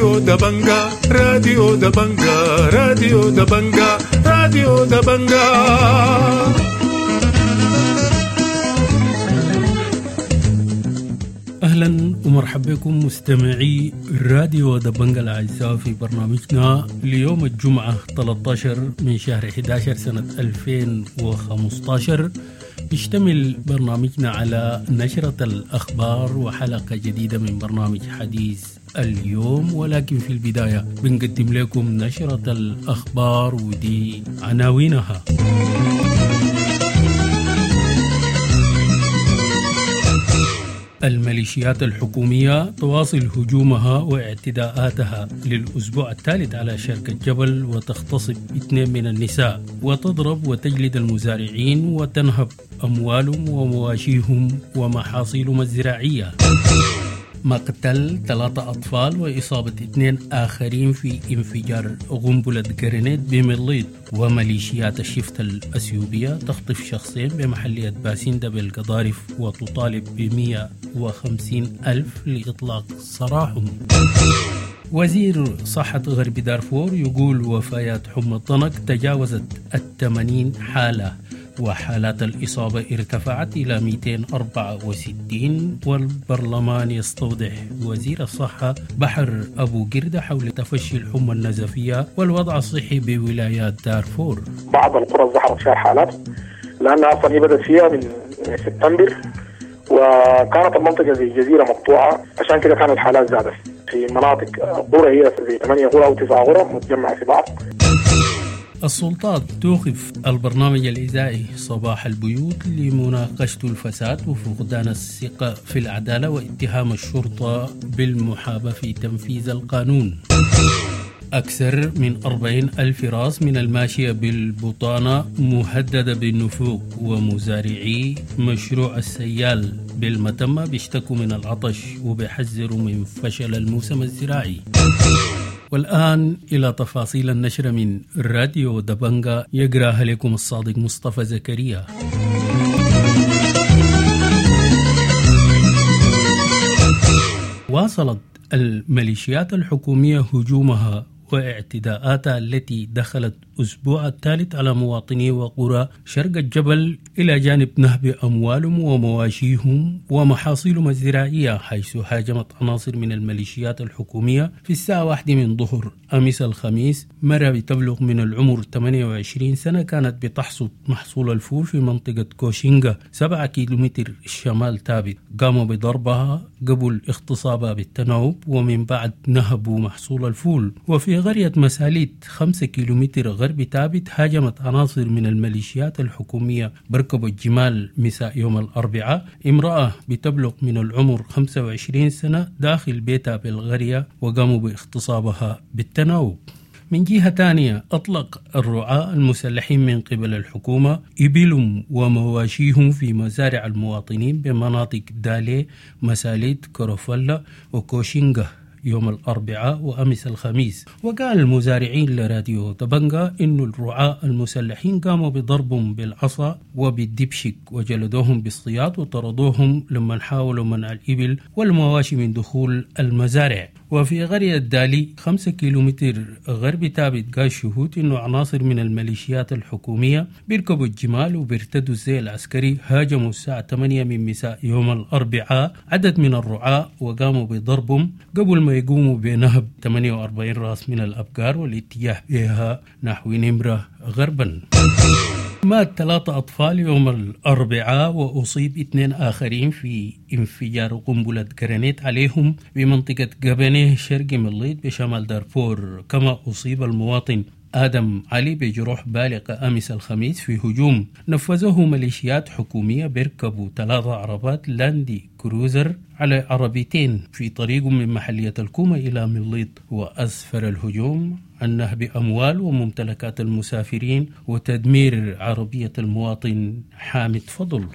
راديو دبنجا، راديو دبنجا، راديو دبنجا، راديو دبنجا. أهلا ومرحبا بكم مستمعي راديو دبنجا الأعزاء في برنامجنا ليوم الجمعة 13 من شهر 11 سنة 2015. يشتمل برنامجنا على نشرة الأخبار وحلقة جديدة من برنامج حديث اليوم، ولكن في البداية بنقدم لكم نشرة الأخبار ودي عناوينها. الميليشيات الحكومية تواصل هجومها واعتداءاتها للأسبوع الثالث على شرق الجبل وتغتصب 2 من النساء وتضرب وتجلد المزارعين وتنهب أموالهم ومواشيهم ومحاصيلهم الزراعية. مقتل 3 أطفال وإصابة 2 آخرين في انفجار قنبلة جرينيت بمليط. وميليشيات الشفت الأثيوبية تخطف شخصين بمحلية باسندة بالقضارف وتطالب ب150 ألف لإطلاق سراحهم. وزير صحة غرب دارفور يقول وفيات حمى الضنك تجاوزت 80 حالة وحالات الإصابة ارتفعت إلى 264. والبرلمان يستوضح وزير الصحة بحر أبو قردة حول تفشي الحمى النزفية والوضع الصحي بولايات دارفور. بعض القرى ظهرت فيها حالات لأنها أصلا هي بدأت فيها من سبتمبر، وكانت المنطقة زي جزيرة مقطوعة، عشان كده كانت الحالات زادت في مناطق قرى هي زي 8 قرى أو 9 قرى متجمعة في بعض. السلطات توقف البرنامج الإذاعي صباح البيوت لمناقشة الفساد وفقدان الثقة في العدالة واتهام الشرطة بالمحاباة في تنفيذ القانون. أكثر من 40 ألف راس من الماشية بالبطانة مهددة بالنفوق، ومزارعي مشروع السيال بالمتمة بيشتكوا من العطش وبيحذروا من فشل الموسم الزراعي. والآن إلى تفاصيل النشرة من راديو دبنجا يقراها لكم الصادق مصطفى زكريا. واصلت الميليشيات الحكومية هجومها واعتداءاتها التي دخلت أسبوع الثالث على مواطني وقرى شرق الجبل إلى جانب نهب أموالهم ومواشيهم ومحاصيلهم الزراعية، حيث هاجمت عناصر من الميليشيات الحكومية في الساعة 1 من ظهر أمس الخميس مرة بتبلغ من العمر 28 سنة كانت بتحصد محصول الفول في منطقة كوشينغا 7 كيلومتر شمال تابت. قاموا بضربها قبل اغتصابها بالتناوب ومن بعد نهبوا محصول الفول. وفي قرية مساليت 5 كيلومتر غرب تابت هاجمت عناصر من الميليشيات الحكومية بركبوا الجمال مساء يوم الأربعاء امرأة بتبلغ من العمر 25 سنة داخل بيتها بالقرية وقاموا باغتصابها بالتناوب. من جهة ثانية أطلق الرعاة المسلحين من قبل الحكومة إبلهم ومواشيهم في مزارع المواطنين بمناطق دالي، مساليت، كروفلا وكوشينغا يوم الأربعاء وأمس الخميس. وقال المزارعين لراديو دبنجا إن الرعاة المسلحين قاموا بضربهم بالعصا وبالدبشك وجلدوهم بالصياط وطردوهم لما حاولوا منع الإبل والمواشي من دخول المزارع. وفي قرية دالي 5 كيلومتر غرب تابت قال شهود إنه عناصر من الميليشيات الحكومية بيركبوا الجمال وبيرتدوا الزي العسكري هاجموا الساعة 8 من مساء يوم الأربعاء عدد من الرعاة وقاموا بضربهم قبل ما يقوموا بنهب 48 راس من الأبقار والاتجاه بها نحو نمرة غربا. مات 3 أطفال يوم الأربعاء وأصيب 2 آخرين في انفجار قنبلة جرانيت عليهم بمنطقة جبنه شرق مليط بشمال دارفور. كما أصيب المواطن آدم علي بجروح بالغة أمس الخميس في هجوم نفذه ميليشيات حكومية بيركبوا 3 عربات لاندي كروزر على عربيتين في طريق من محلية الكومة إلى مليط. وأسفر الهجوم عن نهب أموال وممتلكات المسافرين وتدمير عربية المواطن حامد فضل.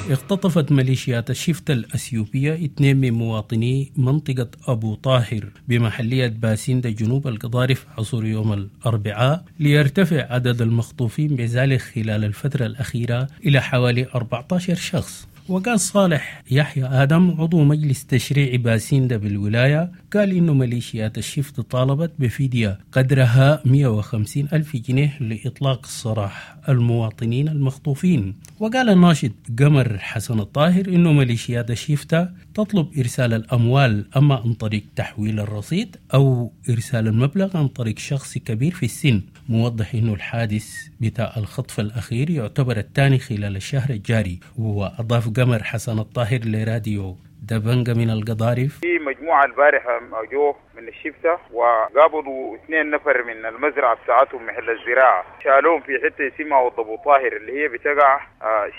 اختطفت ميليشيات الشفت الأثيوبية 2 من مواطني منطقة أبو طاهر بمحلية باسندة جنوب القضارف عصر يوم الأربعاء، ليرتفع عدد المخطوفين بذلك خلال الفترة الأخيرة إلى حوالي 14 شخص. وقال صالح يحيى آدم عضو مجلس تشريعي باسيندا بالولاية، قال إنه ميليشيات الشفت طالبت بفدية قدرها 150 ألف جنيه لإطلاق سراح المواطنين المخطوفين. وقال الناشط قمر حسن الطاهر إنه ميليشيات الشفتة تطلب إرسال الأموال أما عن طريق تحويل الرصيد أو إرسال المبلغ عن طريق شخص كبير في السن، موضح إنه الحادث بتاع الخطف الأخير يعتبر الثاني خلال الشهر الجاري. وأضاف قمر حسن الطاهر لراديو دبنجة من القضارف: في مجموعة البارحة جو من الشفتة وقابضوا 2 نفر من المزرعة بتاعتهم محل الزراعة، شالوهم في حتة اسمها ابو طاهر اللي هي بتقع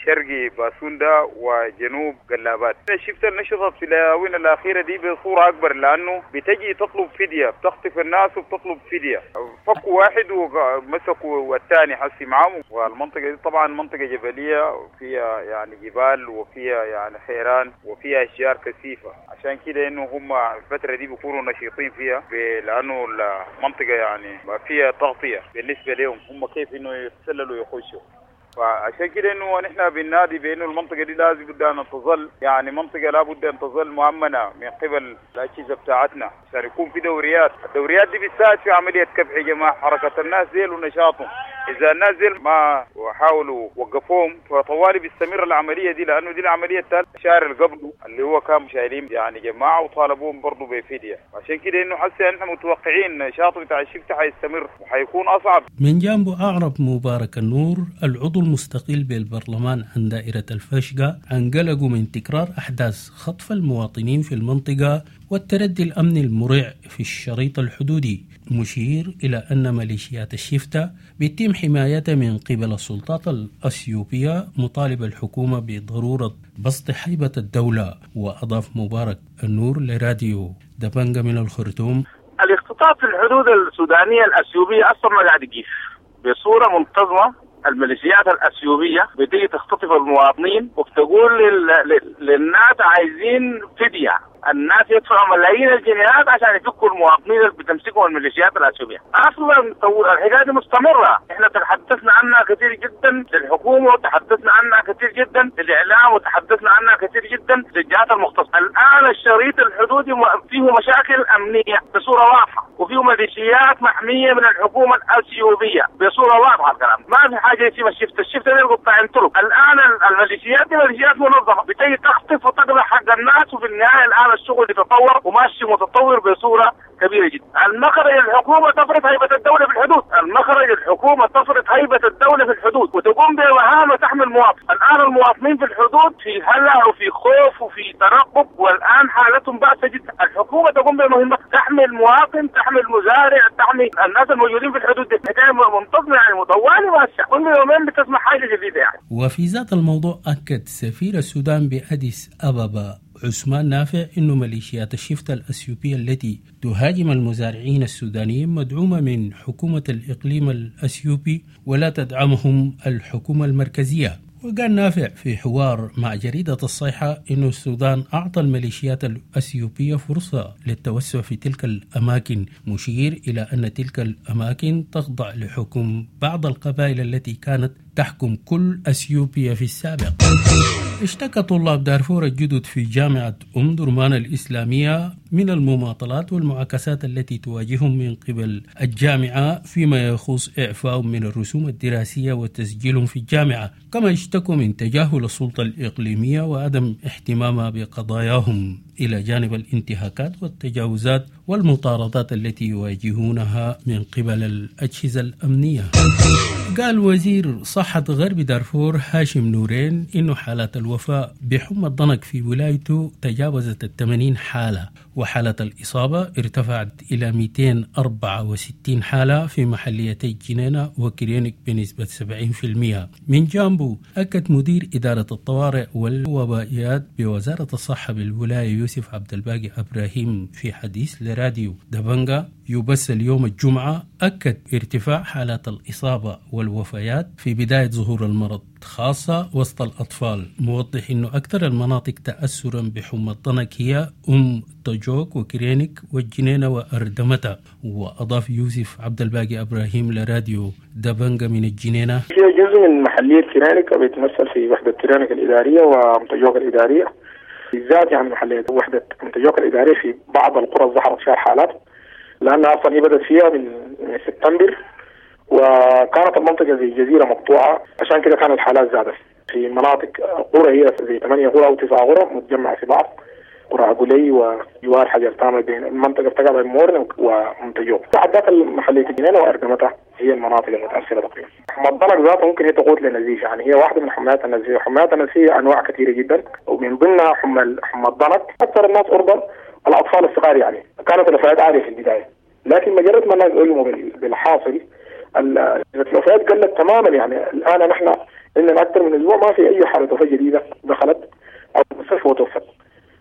شرقي باسوندا وجنوب قلابات. الشفتة نشطت في الآونة الأخيرة دي بصورة أكبر لأنه بتجي تطلب فدية، بتخطف الناس وبتطلب فدية. فكوا واحد ومسكوا الثاني حسي معهم. والمنطقة دي طبعا منطقة جبلية فيها يعني جبال وفيها يعني خيران وفيها أشجار كثيفة، عشان كده إنه هم الفترة دي بيكونوا نشيطين فيها لأنه المنطقة يعني فيها تغطية بالنسبة لهم هم كيف إنه يتسللوا ويخشوا. فعشان كده إنه نحن بننادي بإنه المنطقة دي لازم بد أن تظل يعني منطقة لابد أن تظل مؤمنة من قبل الأجهزة بتاعتنا، عشان يكون في دوريات. الدوريات دي بتساعد في عملية كبح جماعة حركة الناس ديل ونشاطهم. إذا الناس ديل ما حاولوا وقفوهم فطوالي بيستمر العملية دي، لأنه دي العملية الثالثة الشهر اللي قبله اللي هو كان شايلين يعني جماعة وطالبوهم برضه بفدية. عشان كده إنه حسي نحن متوقعين نشاط بتاع الشفت حيستمر وحيكون أصعب. من جانبه أعرب مبارك النور العضو المستقل بالبرلمان عن دائرة الفشقة عن قلقه من تكرار أحداث خطف المواطنين في المنطقة والتردي الأمني المريع في الشريط الحدودي، مشير إلى أن ميليشيات الشفتة بيتم حمايتها من قبل السلطات الأثيوبية، مطالب الحكومة بضرورة بسط هيبة الدولة. وأضاف مبارك النور لراديو دبنجة من الخرطوم: الاختطاف في الحدود السودانية الأثيوبية أصلا ما قاعد يقيف بصورة منتظمة. الميليشيات الأثيوبية بتيجي تختطف المواطنين وبتقول للناس عايزين فدية، الناس يدفعوا ملايين الجنيهات عشان يفكوا المواطنين اللي بتمسكهم الميليشيات الأثيوبية. أصلا الحكاية دي مستمرة، احنا تحدثنا عنها كثير جدا للحكومة وتحدثنا عنها كثير جدا للإعلام وتحدثنا عنها كثير جدا للجهات المختصة. الآن الشريط الحدودي فيه مشاكل أمنية بصورة واضحة، وفيه ميليشيات محمية من الحكومة الأثيوبية بصورة واضحة. الكلام ما في حاجة اسمها الشفت، الشفت دي قطاعين طرق. الآن الميليشيات دي ميليشيات منظمة بتيجي تخطف وتقلع حق الناس، وفي النهاية الآن الشغل يتطور وماشي متطور بصورة كبيرة جدا. المخرج الحكومة تفرض هيبة الدولة في الحدود، المخرج الحكومة تفرض هيبة الدولة في الحدود وتقوم بمهام تحمي المواطن. الآن المواطنين في الحدود في هلع وفي خوف وفي ترقب، والآن حالتهم بائسة جدا. الحكومة تقوم بمهمة تحمي المواطن، تحمي المزارع، تحمي الناس الموجودين في الحدود. دي حكاية منتظمة يعني مطولة ماشية، كل يومين بتسمع حاجة جديدة يعني. وفي ذات الموضوع أكد سفير السودان بأديس أبابا عثمان نافع أن ميليشيات الشفتة الأثيوبية التي تهاجم المزارعين السودانيين مدعومة من حكومة الإقليم الأثيوبي ولا تدعمهم الحكومة المركزية. وقال نافع في حوار مع جريدة الصيحة أن السودان أعطى الميليشيات الأثيوبية فرصة للتوسع في تلك الأماكن، مشير إلى أن تلك الأماكن تخضع لحكم بعض القبائل التي كانت تحكم كل أثيوبيا في السابق. اشتكى طلاب دارفور الجدد في جامعة أم درمان الإسلامية من المماطلات والمعاكسات التي تواجههم من قبل الجامعة فيما يخص إعفائهم من الرسوم الدراسية وتسجيلهم في الجامعة، كما اشتكوا من تجاهل السلطة الإقليمية وعدم اهتمامها بقضاياهم، إلى جانب الانتهاكات والتجاوزات والمطاردات التي يواجهونها من قبل الأجهزة الأمنية. قال وزير صحة غرب دارفور هاشم نورين إنه حالات الوفاة بحمى الضنك في ولايته تجاوزت 80 حالة، وحالة الإصابة ارتفعت إلى 264 حالة في محليتي جنينة وكرينك بنسبة 70%. من جانبه أكد مدير إدارة الطوارئ والوبائيات بوزارة الصحة بالولاية يوسف عبد الباقي إبراهيم في حديث لراديو دبنجا يبث اليوم الجمعة، أكد ارتفاع حالات الإصابة والوفيات في بداية ظهور المرض خاصة وسط الأطفال، موضح أنه أكثر المناطق تأثرا بحمى الضنك هي أم طجوك وكرينك والجنينة وأردمتا. وأضاف يوسف عبد الباقي إبراهيم لراديو دبنجة من الجنينة: هي جزء من محلية كرينك بيتمثل في وحدة كرينك الإدارية وأم طجوك الإدارية، بالذات يعني محلية وحدة أم طجوك الإدارية في بعض القرى ظهرت فيها الحالات، لأنها أصلا هي بدأت فيها من سبتمبر، وكانت المنطقة زي جزيرة مقطوعة، عشان كده كانت الحالات زادت في مناطق قرى هي زي 8 قرى أو 9 قرى متجمعة في بعض، قرى عقولي وجوار حجر تامر بين المنطقة بتقع بين مورن ومنتجوك. بعد ذاك المحلية الجنينة وأردمتها هي المناطق المتأثرة تقريبا. حمى الضنك ذاته ممكن هي تقود للنزيف، يعني هي واحدة من حميات النزيف. حميات النزيف أنواع كثيرة جدا، ومن ضمنها حمى الضنك. أكثر الناس عرضة الأطفال الصغار، يعني كانت الوفيات عالية في البداية، لكن مجرد ما الناس علموا بالحاصل الوفيات قلت تماما. يعني الآن نحن عندنا أكثر من أسبوع ما في أي حالة وفاة جديدة دخلت أو المستشفى وتوفت.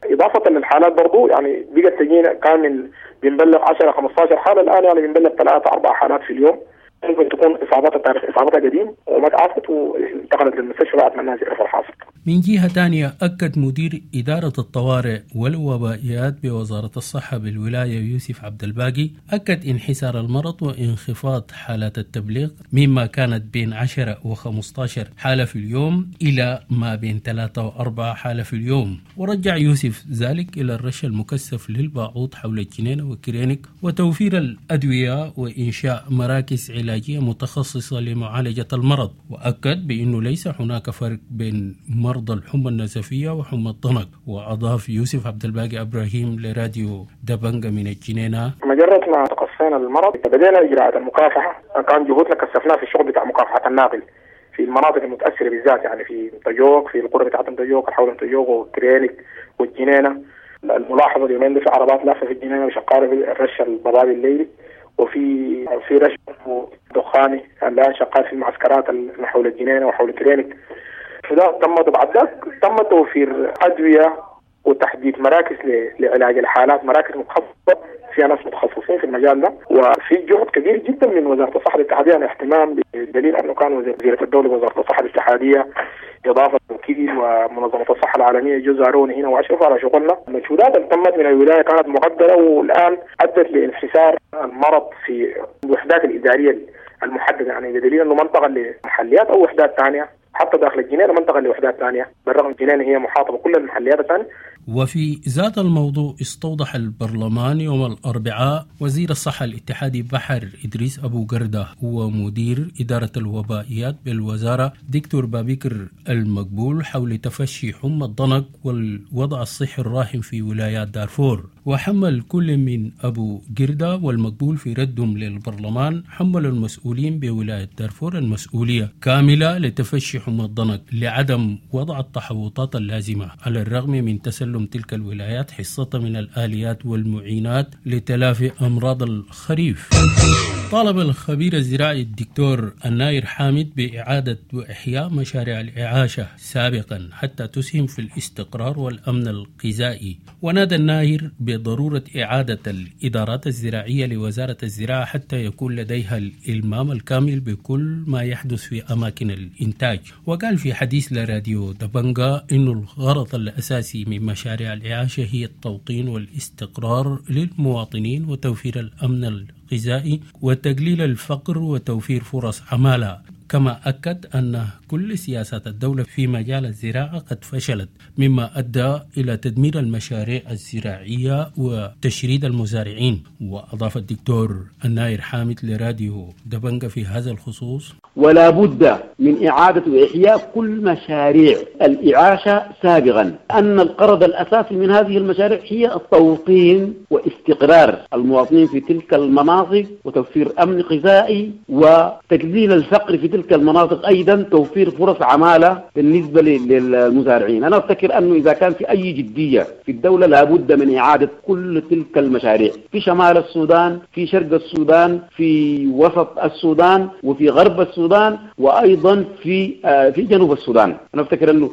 إضافة للحالات برضو يعني بقت تجينا، كان من بنبلغ 10 15 حالة، الآن يعني بنبلغ 3 4 حالات في اليوم. ممكن تكون إصابات التاريخ إصابتها قديم وما تعافت وانتقلت للمستشفى بعد ما الناس يعرفوا الحاصل. من جهة ثانية، أكد مدير إدارة الطوارئ والوبائيات بوزارة الصحة بالولاية يوسف عبد الباقي أكد انحسار المرض وانخفاض حالات التبليغ مما كانت بين 10 و15 حالة في اليوم إلى ما بين 3 و4 حالة في اليوم. ورجع يوسف ذلك إلى الرش المكثف للباعوض حول الجنينة وكرينك وتوفير الأدوية وإنشاء مراكز علاجية متخصصة لمعالجة المرض. وأكد بأنه ليس هناك فرق بين مرضى الحمى النزفية وحمى الضنك. وأضاف يوسف عبد الباقي إبراهيم لراديو دبنجة من الجنينة: مجرد ما تقصينا المرض بدينا إجراءات المكافحة، كان جهودنا كثفناها في الشغل بتاع مكافحة الناقل في المناطق المتأثرة بالذات، يعني في طجوك، في القرى بتاعت طجوك، حول طجوك وكرينك والجنينة. الملاحظة اليومين دي في عربات لافة في الجنينة وشقارة في الرش الضبابي الليلي، وفي رش دخاني الآن شغال في المعسكرات اللي حول الجنينة وحول كرينك. فده تم بعد ذاك تم توفير أدوية وتحديد مراكز لعلاج الحالات، مراكز متخصصة فيها ناس متخصصين في المجال ده. وفي جهد كبير جدا من وزارة الصحة الاتحادية، يعني اهتمام بدليل أنه كان وزيرة الدولة وزارة الصحة الاتحادية إضافة وكيل ومنظمة الصحة العالمية جو زاروني هنا وأشرفوا على شغلنا. المجهودات اللي تمت من الولاية كانت مقدرة، والآن أدت لانحسار المرض في الوحدات الإدارية المحددة، يعني بدليل أنه منطقة لمحليات أو وحدات ثانية حتى داخل الجنينة منطقة لوحدات ثانية، بالرغم الجنينة هي محاطة بكل المحليات الثانية. وفي ذات الموضوع استوضح البرلمان يوم الأربعاء وزير الصحة الاتحادي بحر إدريس أبو قردة ومدير إدارة الوبائيات بالوزارة دكتور بابكر المقبول حول تفشي حمى الضنك والوضع الصحي الراهن في ولايات دارفور. وحمل كل من أبو قردة والمقبول في ردهم للبرلمان حملوا المسؤولين بولاية دارفور المسؤولية كاملة لتفشي حمى الضنك لعدم وضع التحوطات اللازمة، على الرغم من تسلم تلك الولايات حصة من الآليات والمعينات لتلافي أمراض الخريف. طالب الخبير الزراعي الدكتور الناير حامد بإعادة وإحياء مشاريع الإعاشة سابقا حتى تسهم في الاستقرار والأمن الغذائي. ونادى الناير بضرورة إعادة الإدارات الزراعية لوزارة الزراعة حتى يكون لديها الإلمام الكامل بكل ما يحدث في أماكن الإنتاج. وقال في حديث لراديو دبنجا إن الغرض الأساسي من مشاريع الإعاشة هي التوطين والاستقرار للمواطنين وتوفير الأمن الغذائي وتقليل الفقر وتوفير فرص عمالة. كما أكد أن كل سياسات الدولة في مجال الزراعة قد فشلت، مما أدى إلى تدمير المشاريع الزراعية وتشريد المزارعين. وأضاف الدكتور الناير حامد لراديو دبنجة في هذا الخصوص: ولا بد من إعادة وإحياء كل مشاريع الإعاشة سابقا، أن الغرض الأساسي من هذه المشاريع هي التوطين واستقرار المواطنين في تلك المناطق وتوفير أمن غذائي وتقليل الفقر في تلك تلك المناطق أيضا توفير فرص عمالة بالنسبة للمزارعين. أنا أفتكر أنه إذا كان في أي جدية في الدولة لابد من إعادة كل تلك المشاريع في شمال السودان، في شرق السودان، في وسط السودان، وفي غرب السودان، وأيضا في جنوب السودان. أنا أفتكر أنه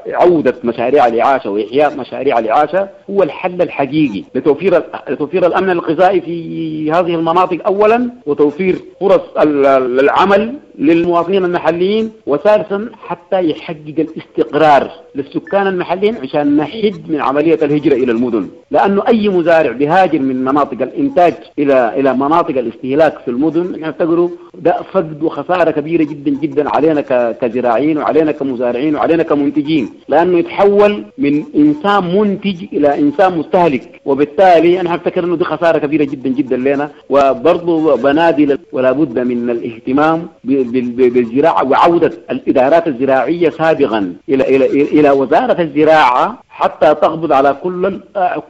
عودة مشاريع الإعاشة وإحياء مشاريع الإعاشة هو الحل الحقيقي لتوفير الأمن الغذائي في هذه المناطق أولا، وتوفير فرص العمل للمواطنين المحليين، وثالثا حتى يحقق الاستقرار للسكان المحليين عشان نحد من عملية الهجرة إلى المدن، لأنه أي مزارع بيهاجر من مناطق الإنتاج إلى مناطق الاستهلاك في المدن نعتبره ده فقد وخسارة كبيرة جدا جدا علينا كزراعيين وعلينا كمزارعين وعلينا كمنتجين، لأنه يتحول من إنسان منتج إلى إنسان مستهلك، وبالتالي أنا أفتكر أنه دي خسارة كبيرة جدا جدا لنا. وبرضه بنادي ولا بد من الاهتمام بالزراعة وعودة الإدارات الزراعية سابقا إلى إلى إلى وزارة الزراعة حتى تقبض على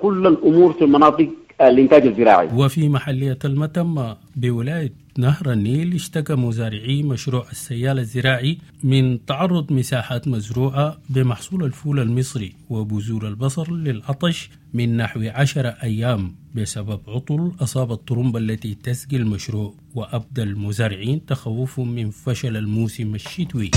كل الأمور في المناطق الإنتاج الزراعي. وفي محلية المتمة بولاية نهر النيل اشتكى مزارعي مشروع السيال الزراعي من تعرض مساحات مزروعة بمحصول الفول المصري وبذور البصر للعطش من نحو 10 أيام بسبب عطل أصاب الطرمبة التي تسقي المشروع، وأبدى المزارعين تخوفهم من فشل الموسم الشتوي.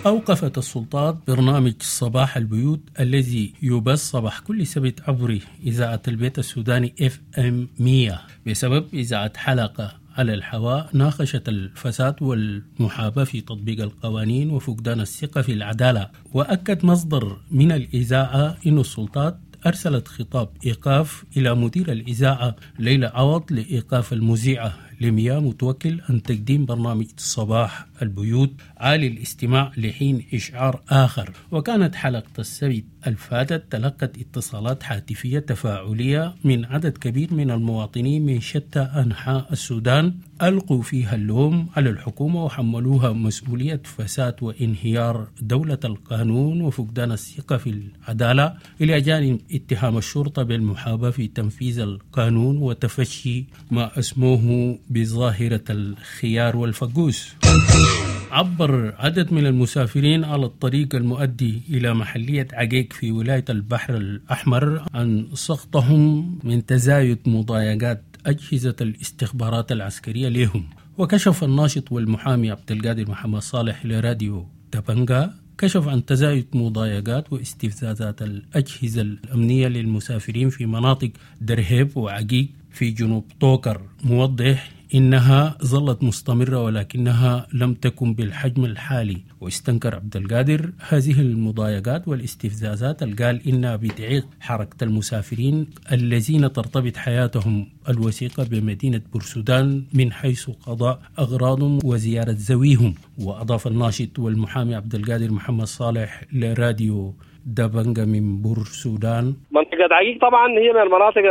أوقفت السلطات برنامج صباح البيوت الذي يبث صباح كل سبت عبر إذاعة البيت السوداني FM 100 بسبب إذاعة حلقة على الهواء ناقشت الفساد والمحاباة في تطبيق القوانين وفقدان الثقة في العدالة. وأكد مصدر من الإذاعة أن السلطات أرسلت خطاب إيقاف إلى مدير الإذاعة ليلى عوض لإيقاف المذيعة لميا متوكل عن تقديم برنامج صباح البيوت عالي الاستماع لحين إشعار آخر. وكانت حلقة السبت الفاتت تلقت اتصالات هاتفية تفاعلية من عدد كبير من المواطنين من شتى أنحاء السودان ألقوا فيها اللوم على الحكومة وحملوها مسؤولية فساد وانهيار دولة القانون وفقدان الثقة في العدالة، إلى جانب اتهام الشرطة بالمحاباة في تنفيذ القانون وتفشي ما أسموه بظاهرة الخيار والفقوس. عبر عدد من المسافرين على الطريق المؤدي إلى محلية عقيق في ولاية البحر الأحمر عن سخطهم من تزايد مضايقات أجهزة الاستخبارات العسكرية لهم. وكشف الناشط والمحامي عبد القادر محمد صالح لراديو دبنجا كشف عن تزايد مضايقات واستفزازات الأجهزة الأمنية للمسافرين في مناطق درهيب وعقيق في جنوب طوكر، موضح إنها ظلت مستمرة ولكنها لم تكن بالحجم الحالي. واستنكر عبد القادر هذه المضايقات والاستفزازات اللي قال إنها بتعيق حركة المسافرين الذين ترتبط حياتهم الوثيقة بمدينة بورسودان من حيث قضاء أغراضهم وزيارة ذويهم. وأضاف الناشط والمحامي عبد القادر محمد صالح لراديو دبنجا من بورسودان: منطقة عقيق طبعا هي من المناطق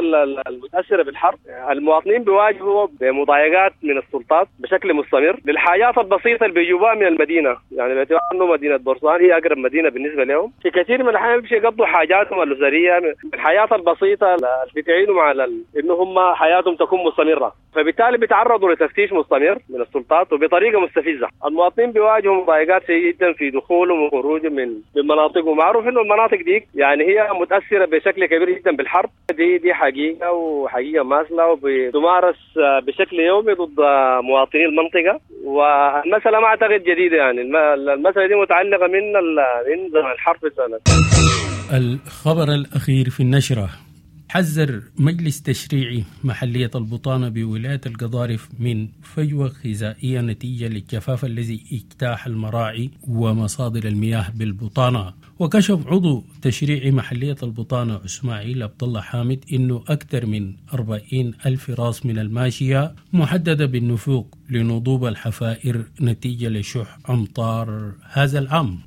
المتأثرة بالحرب. المواطنين بيواجهوا بمضايقات من السلطات بشكل مستمر للحاجات البسيطة اللي بيجوبها من المدينة، يعني باعتبار انه مدينة بورسودان هي أقرب مدينة بالنسبة لهم. في كثير من الأحيان بيمشي يقضوا حاجاتهم الأسرية، الحياة البسيطة اللي بتعينوا على انه هم حياتهم تكون مستمرة، فبالتالي بيتعرضوا لتفتيش مستمر من السلطات وبطريقة مستفزة. المواطنين بيواجهوا مضايقات جدا في دخولهم وخروجهم من مناطقهم. معروف انه المناطق دي يعني هي متأثرة بشكل كبير جدا بالحرب دي حقيقة وحقيقة ماثلة وبتمارس بشكل يومي ضد مواطني المنطقة. والمسألة ما أعتقد جديدة، يعني المسألة دي متعلقة من زمن الحرب السنة. الخبر الأخير في النشرة: حذر مجلس تشريعي محلية البطانة بولاية القضارف من فجوة غذائية نتيجة للجفاف الذي اجتاح المراعي ومصادر المياه بالبطانة. وكشف عضو تشريعي محلية البطانة إسماعيل عبد الله حامد إنه أكثر من 40 ألف راس من الماشية محددة بالنفوق لنضوب الحفائر نتيجة لشح أمطار هذا العام.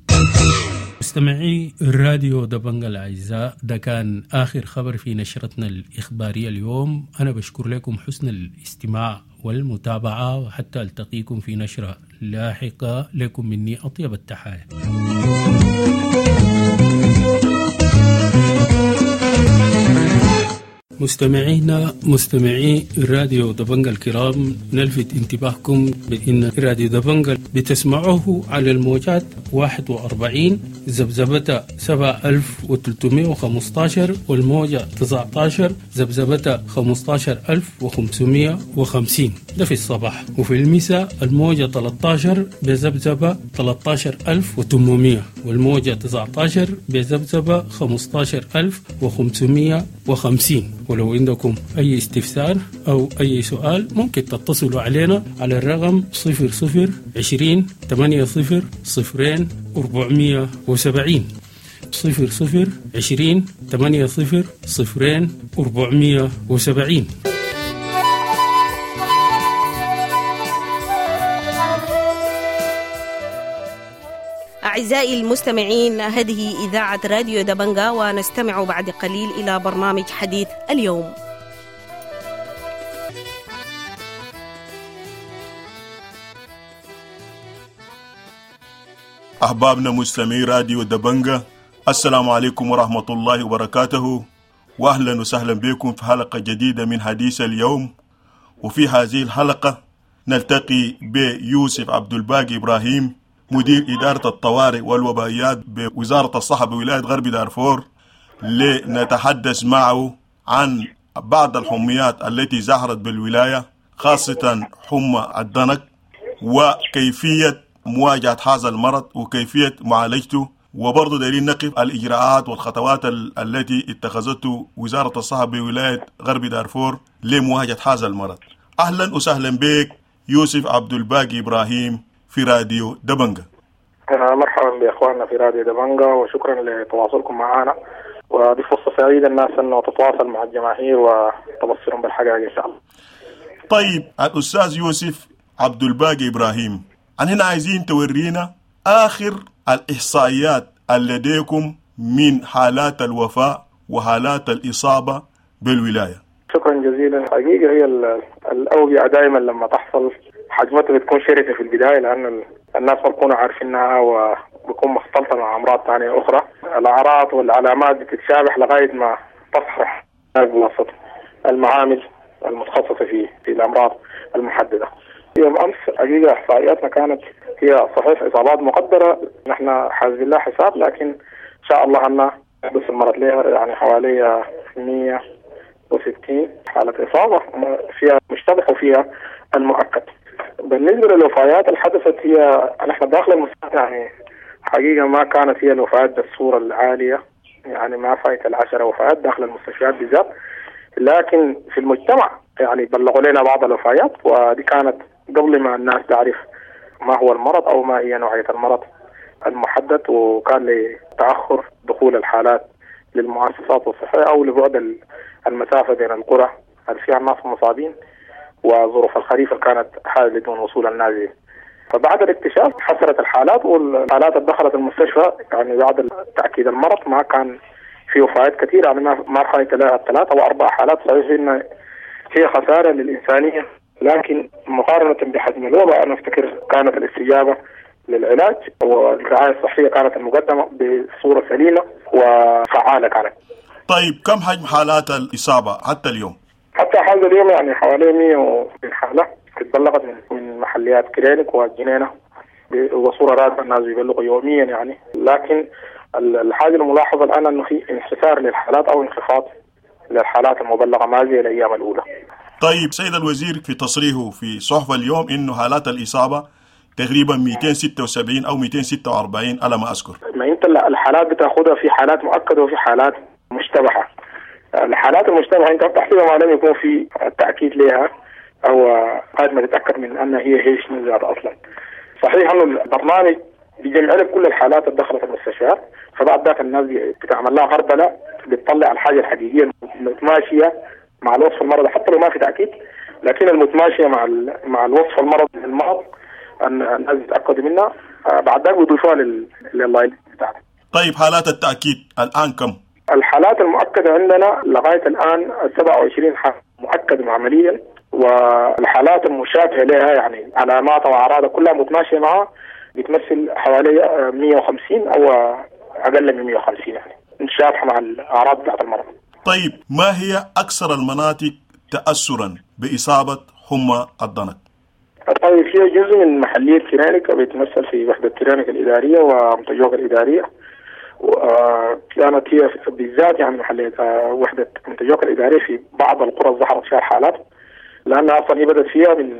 مستمعي راديو دبنجا الأعزاء، ده كان آخر خبر في نشرتنا الإخبارية اليوم. أنا بشكر لكم حسن الاستماع والمتابعة، وحتى ألتقيكم في نشرة لاحقة. لكم مني أطيب التحايا. مستمعينا مستمعي راديو دبنجا الكرام، نلفت انتباهكم بأن راديو دبنجا بتسمعوه على الموجات 41 ذبذبة 7315 والموجة 19 ذبذبة 15550، ده في الصباح، وفي المساء الموجة 13 بذبذبة 13800 والموجة 19 بذبذبة 15550. ولو عندكم أي استفسار أو أي سؤال ممكن تتصلوا علينا على الرقم 00 20 80 0 470، 00 20 80 0 470. أعزائي المستمعين، هذه إذاعة راديو دبنجا، ونستمع بعد قليل إلى برنامج حديث اليوم. أحبابنا مستمعي راديو دبنجا، السلام عليكم ورحمة الله وبركاته، وأهلا وسهلا بكم في حلقة جديدة من حديث اليوم. وفي هذه الحلقة نلتقي بيوسف عبد الباقي إبراهيم، مدير إدارة الطوارئ والوبائيات بوزارة الصحة بولاية غرب دارفور، لنتحدث معه عن بعض الحميات التي ظهرت بالولاية، خاصة حمى الضنك، وكيفية مواجهة هذا المرض وكيفية معالجته، وبرضه دايرين نقف الإجراءات والخطوات التي اتخذته وزارة الصحة بولاية غرب دارفور لمواجهة هذا المرض. أهلا وسهلا بك يوسف عبد الباقي إبراهيم في راديو دبنجا. مرحبا بإخواننا في راديو دبنجا، وشكرا لتواصلكم معنا، ودي فرصة سعيدة الناس أنه تتواصل مع الجماهير وتبصرهم بالحقائق إن شاء الله. طيب الأستاذ يوسف عبد الباقي إبراهيم، هنا عايزين تورينا آخر الإحصائيات لديكم من حالات الوفاة وحالات الإصابة بالولاية. شكرا جزيلا. حقيقة هي الأوبئة دائما لما تحصل حجمتها بتكون شرسة في البداية، لأن الناس ما بيكونوا عارفينها وبيكون مختلطة مع أمراض ثانية أخرى. الأعراض والعلامات بتتشابه لغاية ما تصحح بواسطة المعامل المتخصصة في الأمراض المحددة. يوم أمس حقيقة إحصائياتنا كانت هي صحيح إصابات مقدرة، نحن حاسبين لها حساب، لكن إن شاء الله أن بس المرض لها يعني حوالي 160 حالة إصابة فيها مشتبه وفيها المؤكد. بالنسبة للوفيات اللي حدثت، هي نحن داخل المستشفى يعني حقيقة ما كانت هي الوفيات بالصورة العالية، يعني ما فايت 10 وفيات داخل المستشفيات بالذات، لكن في المجتمع يعني بلغوا لنا بعض الوفيات، ودي كانت قبل ما الناس تعرف ما هو المرض أو ما هي نوعية المرض المحدد، وكان لتأخر دخول الحالات للمؤسسات الصحية أو لبعد المسافة بين القرى اللي فيها الناس المصابين وظروف الخريف اللي كانت حالة دون وصول النازل. فبعد الاكتشاف حصلت الحالات، والحالات اللي دخلت المستشفى يعني بعد تأكيد المرض ما كان في وفيات كثيرة، يعني ما فايت لها 3 أو 4 حالات. صحيح إن هي خسارة للإنسانية، لكن مقارنة بحجم الوباء أنا أفتكر كانت الاستجابة للعلاج والرعاية الصحية كانت المقدمة بصورة سليمة وفعالة كانت. طيب كم حجم حالات الإصابة حتى اليوم؟ حتى هذا اليوم يعني حوالي 100 حالة اتبلغت من محليات كرينك والجنينة وصورة راتبة، الناس بيبلغوا يوميا يعني. لكن الحاجة الملاحظة الآن أنه في انحسار للحالات أو انخفاض للحالات المبلغة ما زي الأيام الأولى. طيب سيد الوزير في تصريحه في صحف اليوم إنه حالات الإصابة تقريبا 276 أو 246 على ما أذكر. ما أنت الحالات بتأخذها في حالات مؤكدة وفي حالات مشتبهة. الحالات المشتبهة أنت بتحسبها ما لم يكون في تأكيد لها أو قد ما تتأكد من أن هي شنو ذات أصلا. صحيح أنه البرنامج بيجمع لك كل الحالات اللي دخلت المستشفيات، فبعد ذاك الناس بتعمل لها غربلة، بتطلع الحاجة الحقيقية المتماشية مع الوصف المرضي حتى لو ما في تأكيد، لكن المتماشية مع الوصف المرضي للمرض الناس يتأكدوا منها، بعد ذاك بيضيفوها لل line بتاعتها. طيب حالات التأكيد الآن كم؟ الحالات المؤكدة عندنا لغاية الآن 27 حالة مؤكدة عمليا، والحالات المشابهة لها يعني علامات وأعراض كلها متماشية معها بتمثل حوالي 150 أو أقل من 150 يعني متشابهة مع الأعراض بتاعت المرض. طيب، ما هي أكثر المناطق تأثرا بإصابة حمى الضنك؟ طيب، هي جزء من محلية كرينك بيتمثل في وحدة كرينك الإدارية ومتجوك الإدارية، وكانت هي بالذات يعني محلية وحدة متجوك الإدارية في بعض القرى ظهرت فيها الحالات، لأنها أصلا هي بدأت فيها من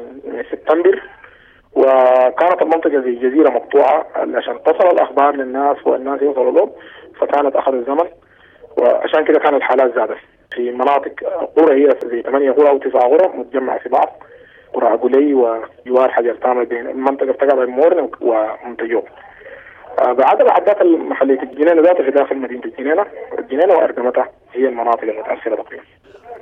سبتمبر، وكانت المنطقة زي جزيرة مقطوعة عشان تصل الأخبار للناس والناس يوصلوا لهم، فكانت أخذ الزمن، وعشان كده كانت الحالات زادت في مناطق قرى هي زي 8 قرى أو 9 قرى متجمعة في بعض، قرى قلي وجوار حجر تامر بين المنطقة بتقع بين مورن ومنتجوك. بعد ذاك محلية الجنينة ذاتها في داخل مدينة الجنينة وأردمتها هي المناطق المتأثرة تقريبا.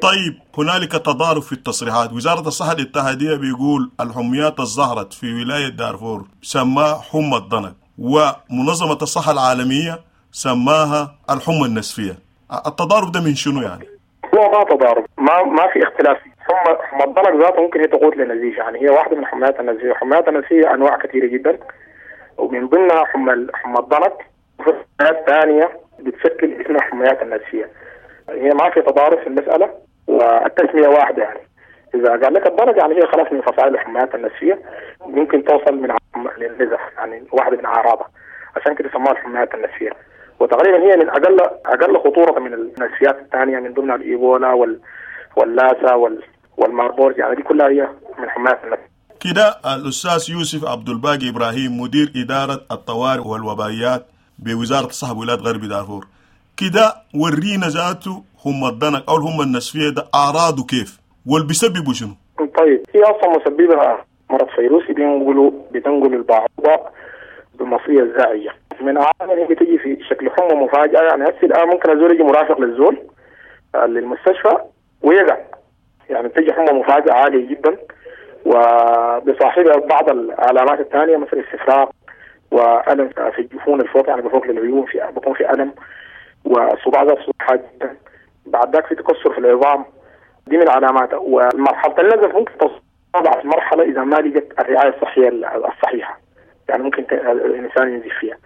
طيب، هنالك تضارب في التصريحات. وزارة الصحة الاتحادية بيقول الحميات الظهرت في ولاية دارفور سماها حمى الضنك، ومنظمة الصحة العالمية سماها الحمى النسفية. التضارب ده من شنو يعني؟ هو ما تضارب، ما في اختلاف. حمى الضنك ذاته ممكن هي تقود لنزيف، يعني هي واحدة من حميات النزيف. حميات النزيف أنواع كثيرة جدا، ومن ضمنها حمى الضنك، وفي حميات ثانية بتشكل اسمها حميات النزفية. هي ما في تضارب في المسألة والتسمية واحدة. يعني إذا قال لك الضنك يعني هي خلاص من فصائل الحميات النزفية، ممكن توصل من للنزف، يعني واحدة من أعراضها، عشان كده سموها الحميات النزفية. وتقريبا هي من أقل خطورة من النزفيات الثانية، من ضمنها الإيبولا واللاسا والماربورج، يعني دي كلها هي من حميات النزفية. كده الأستاذ يوسف عبد الباقي إبراهيم، مدير إدارة الطوارئ والوبائيات بوزارة الصحة بولاية غرب دارفور، كده ورينا ذاته هم الضنك أو هم النسفية ده أعراضه كيف واللي بيسببوا شنو؟ طيب، هي أصلا مسببها مرض فيروسي بتنقل البعوضة بالمصرية الزاعية. من أعراضها بتجي في شكل حمى مفاجئة، يعني هسه الآن ممكن الزول يجي مرافق للزول للمستشفى ويقع، يعني بتجي حمى مفاجئة عالية جدا، وبصاحبها بعض العلامات الثانية مثل استفراغ وألم في الجفون الفوق، يعني بفوق للعيون في بيكون في ألم، وصداع ذات صداع جدا، بعد ذاك في تكسر في العظام، دي من علاماتها. ومرحلة النزف ممكن تصل في مرحلة إذا ما لقت الرعاية الصحية الصحيحة، يعني ممكن الإنسان ينزف فيها.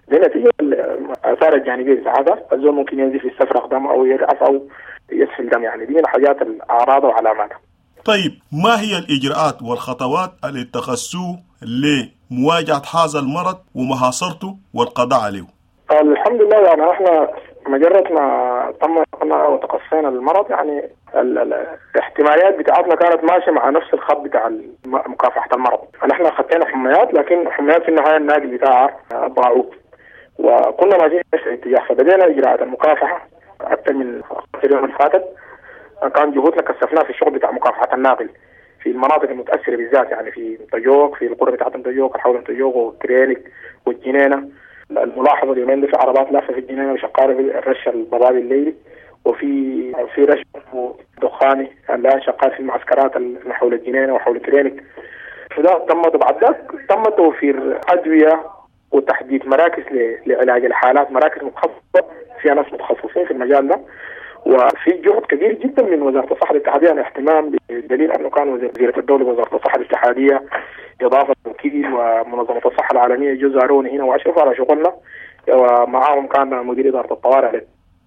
دي نتيجة الآثار الجانبية بتاعتها، الزول ممكن ينزف يستفرغ دم أو يرأس أو يسفل دم، يعني دي من حاجات الأعراض وعلاماتها. طيب، ما هي الإجراءات والخطوات اللي اتخذتوه لمواجهة هذا المرض ومحاصرته والقضاء عليه؟ الحمد لله، يعني احنا مجرد ما تم وتقصينا المرض، يعني الاحتماليات بتاعتنا كانت ماشية مع نفس الخط بتاع مكافحة المرض. نحن خدينا حميات، لكن حميات في النهاية الناقل بتاعها باعوض، وكنا ماشيين في نفس الاتجاه، فبدينا اجراءات المكافحه اكثر من 10 يوم اللي فاتت. كان جهودنا كثفناها في الشغل بتاع مكافحة الناقل في المناطق المتاثرة بالذات، يعني في متجوك، في القرى بتاعت متجوك، حول متجوك وكرينك والجنينه. الملاحظة اليومين دي في عربات لافه في الجنينة وشقاره في الرش الضبابي الليلي، وفي رش دخاني الان شغال في المعسكرات اللي حول الجنينة وحول كرينك. فده تم. بعد ذاك تم توفير ادوية وتحديد مراكز لعلاج الحالات، مراكز متخصصة فيها ناس متخصصين في المجال ده، وفي جهد كبير جدا من وزارة الصحة الاتحادية، يعني اهتمام بدليل انه كان وزيره الدولة وزارة الصحة الاتحادية اضافه وكيل ومنظمة الصحة العالمية جو زاروني هنا واشرفوا على شغلنا، ومعاهم كان مدير ادارة الطوارئ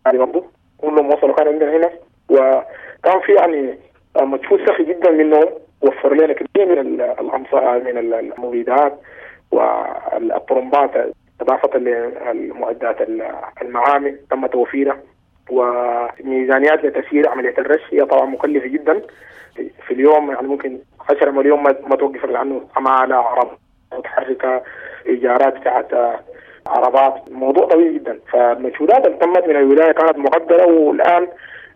برضه، كلهم وصلوا كان عندنا هنا، وكان في يعني مجهود سخي جدا منهم، وفر لنا كثير من الامصار من المبيدات والطرمبات، اضافه للمعدات المعامل تم توفيرها، وميزانيات لتسيير عملية الرش هي طبعا مكلفة جدا في اليوم، يعني ممكن 10 مليون ما توقف لانه عماله، عربات متحركة، ايجارات بتاعت عربات، موضوع طويل جدا. فالمجهودات اللي تمت من الولاية كانت مقدره، والان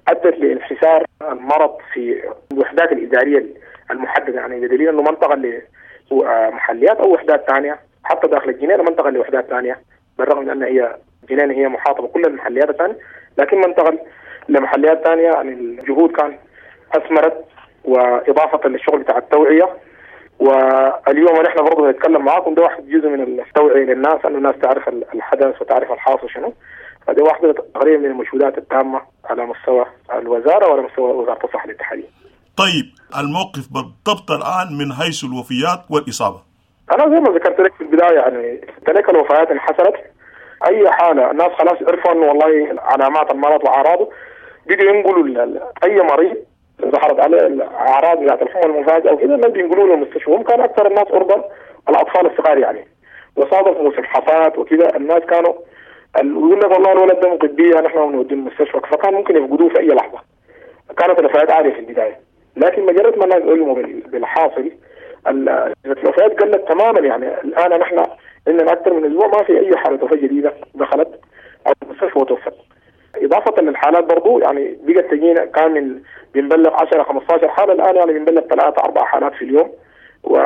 ادت لانحسار المرض في الوحدات الادارية المحددة، يعني بدليل انه منطقة لمحليات او وحدات ثانية، حتى داخل الجنينة منطقة لوحدات ثانية، بالرغم من ان هي الجنينة هي محاطة بكل المحليات الثانية، لكن منطقة لمحليات ثانية. يعني الجهود كان اثمرت، واضافه للشغل بتاع التوعية. واليوم نحن برضه نتكلم معاكم، ده واحد جزء من التوعية للناس، انه الناس تعرف الحدث وتعرف الحاصل شنو. فدي واحدة تقريبا من المجهودات التامة على مستوى الوزارة وعلى مستوى وزارة الصحة الاتحادية. طيب، الموقف بالضبط الان من حيث الوفيات والاصابه؟ انا زي ما ذكرت لك في البداية، يعني تلك الوفيات انحسرت. اي حاله الناس خلاص عرفوا انه والله علامات المرض واعراضه، بقوا ينقلوا اي مريض ظهرت عليه الاعراض بتاعت الحمى المفاجئة وكده، الناس بينقلوا له المستشفى. هم كان اكثر الناس عرضه الاطفال الصغار يعني، وصادف موسم حصاد وكده، الناس كانوا يقول لك والله الولد ده مقبيه نحن بنوديه المستشفى، فكان ممكن يفقدوه في اي لحظة. كانت الوفيات عالية في البداية، لكن مجرد ما الناس علموا بالحاصل الوفيات قلت تماما. يعني الان نحن عندنا اكثر من اسبوع ما في اي حاله وفاه جديدة دخلت او المستشفى وتوفت. اضافه للحالات برضو يعني بقت تجينا، كان من بنبلغ 10 15 حاله، الان يعني بنبلغ 3 4 حالات في اليوم، و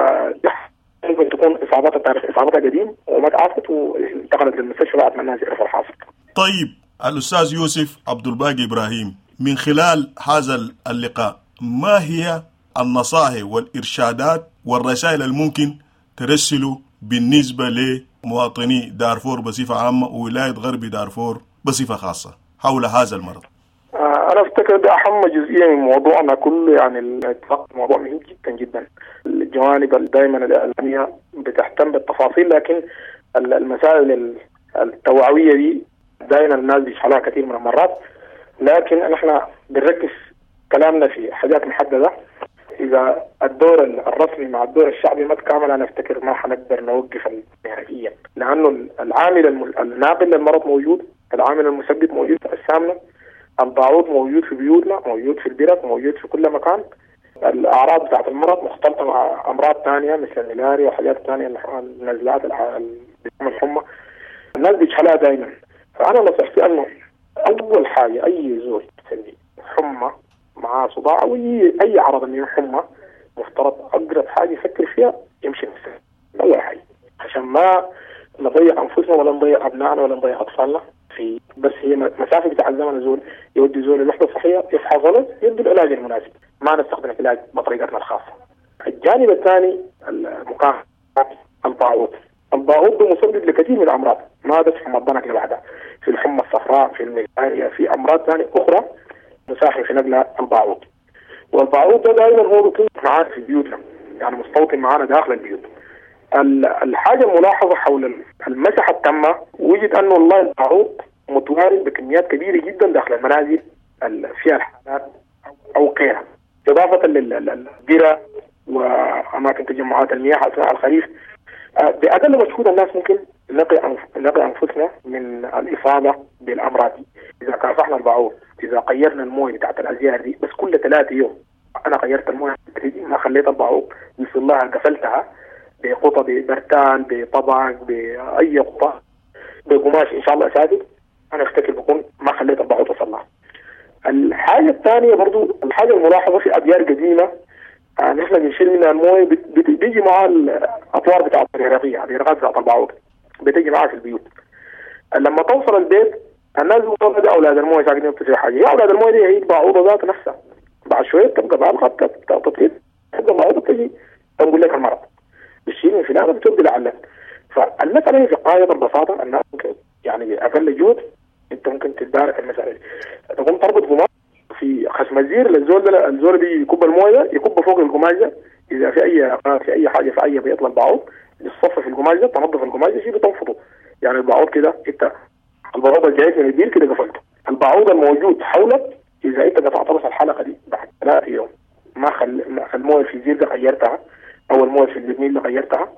ممكن تكون اصابتها تاريخ اصابتها قديم وما تعافت وانتقلت للمستشفى بعد ما الناس يعرفوا الحاصل. طيب الاستاذ يوسف عبد الباقي ابراهيم، من خلال هذا اللقاء ما هي النصائح والارشادات والرسائل الممكن ترسلوا بالنسبة لمواطني دارفور بصفة عامة وولاية غرب دارفور بصفة خاصة حول هذا المرض؟ أنا أفتكر ده أهم جزئية من موضوعنا كله، يعني الموضوع مهم جدا جدا. الجوانب دائما الإعلامية بتهتم بالتفاصيل، لكن المسائل التوعوية دي دائما الناس بيشحلوها كثير من المرات، لكن نحن بنركز كلامنا في حاجات محددة. إذا الدور الرسمي مع الدور الشعبي ما تكامل، أنا أفتكر ما حنقدر نوقف نهائيا، لأنه العامل الناقل للمرض موجود، العامل المسبب موجود في أجسامنا، البعوض موجود في بيوتنا، موجود في البرك، موجود في كل مكان. الأعراض بتاعت المرض مختلطة مع أمراض ثانية مثل الملاريا وحاجات ثانية، النزلات، الحمى، الناس بيجهلها دائما. فأنا نصيحتي أنه أول حاجة أي زول حمى مع صداع أو أي عرض من حمى، مفترض أقرب حاجة يفكر فيها يمشي المستشفى أول حاجة، عشان ما نضيع أنفسنا ولا نضيع أبنائنا ولا نضيع أطفالنا. في بس هي مسافة بتاع الزمن، زول يودي زول الوحدة الصحية يفحص له يدي العلاج المناسب، ما نستخدم العلاج بطريقتنا الخاصة. الجانب الثاني المقاومة البعوض. البعوض مسبب لكثير من الأمراض، ما بس حمى الضنك لوحدها، في الحمى الصفراء، في الملاريا، في أمراض ثانية أخرى مساهم في نقل البعوض. والبعوض ده دائما هو بيكون معانا في بيوتنا، يعني مستوطن معانا داخل البيوت. الحاجة الملاحظة حول المسحة التامة، وجد أنه والله البعوض متوارد بكميات كبيرة جدا داخل المنازل فيها الحالات أو غيرها، إضافة للبرة وأماكن تجمعات المياه أثناء الخريف. بأقل مجهود الناس ممكن نقي أنفسنا من الإصابة بالأمراض دي. إذا كافحنا البعوض، إذا غيرنا المويه بتاعت الأزيار دي، بس كل 3 يوم أنا غيرت المويه دي، ما خليت البعوض يوصل لها، قفلتها بقطة، ببرتان، بطبق، بأي قطة، بقماش إن شاء الله سادد، أنا أفتكر بكون ما خليت البعوض تصل لها. الحاجة الثانية برضو، الحاجة الملاحظة في أبيار قديمة نحن بنشيل منها المويه، بيجي معها الأطوار بتاعت الهرقية، الهرقات بتاعت البعوض بتيجي معها في البيوت. لما توصل البيت الناس بيقولوا ده أولاد المويه ساكنين في حاجة، يا أولاد المويه دي هي البعوضة ذات نفسها، بعد شوية تبقى بالغة تطير، تبقى البعوضة تجي تنقل لك المرض، بتشيل من فلانة بتودي لعلك. فالمسألة هي في غاية البساطة، الناس ممكن يعني بأقل جهد أنت ممكن تتدارك المسألة دي. تقوم تربط قماش في خشم الزير للزول ده، الزول بيجي يكب المويه، يكب فوق القماش ده، إذا في أي في أي حاجة في أي بيطلع البعوض يتصفى في القماش ده، تنظف القماش ده شيء بتنفضه. يعني البعوض كده أنت البعوض الجاي من البير كده قفلته، البعوض الموجود حولك إذا أنت قطعت بس الحلقة دي بعد 3 يوم ما المويه في الزير ده غيرتها أو المويه في البرميل اللي غيرتها،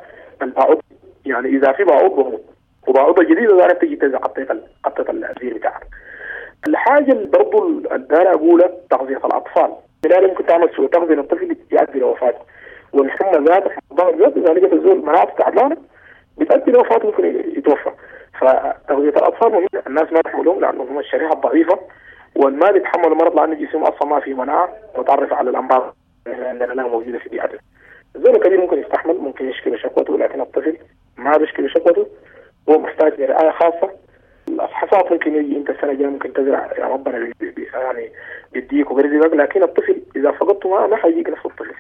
البعوض يعني إذا في بعوض بموت، وبعوضة جديدة ذلك تجي تنزع قطة الزير بتاعك. الحاجة اللي برضو الدار أقولها تغذية الأطفال، بالتالي ممكن تعمل سوء تغذية للطفل يؤدي لوفاته، والحمى ذات الضغط ذات إذا لقيت الزول مناعته تعبانة بتؤدي لوفاته، ممكن يتوفى. فتغذية الأطفال مهمة، الناس ما تحملهم لأنهم هم الشريحة الضعيفة والما بيتحملوا المرض، لأن جسمهم أصلا ما فيه مناعة وتعرف على الأمراض اللي عندنا موجودة في بيئتنا. الزول الكبير ممكن يستحمل، ممكن يشكي بشكوته، لكن الطفل ما بيشكي بشكوته، هو محتاج لرعاية خاصة. الحصاد ممكن يجي انت السنة الجاية ممكن تزرع يا ربنا يعني بيديك وبيرزقك، لكن الطفل إذا فقدته ما حيجيك نفس الطفل.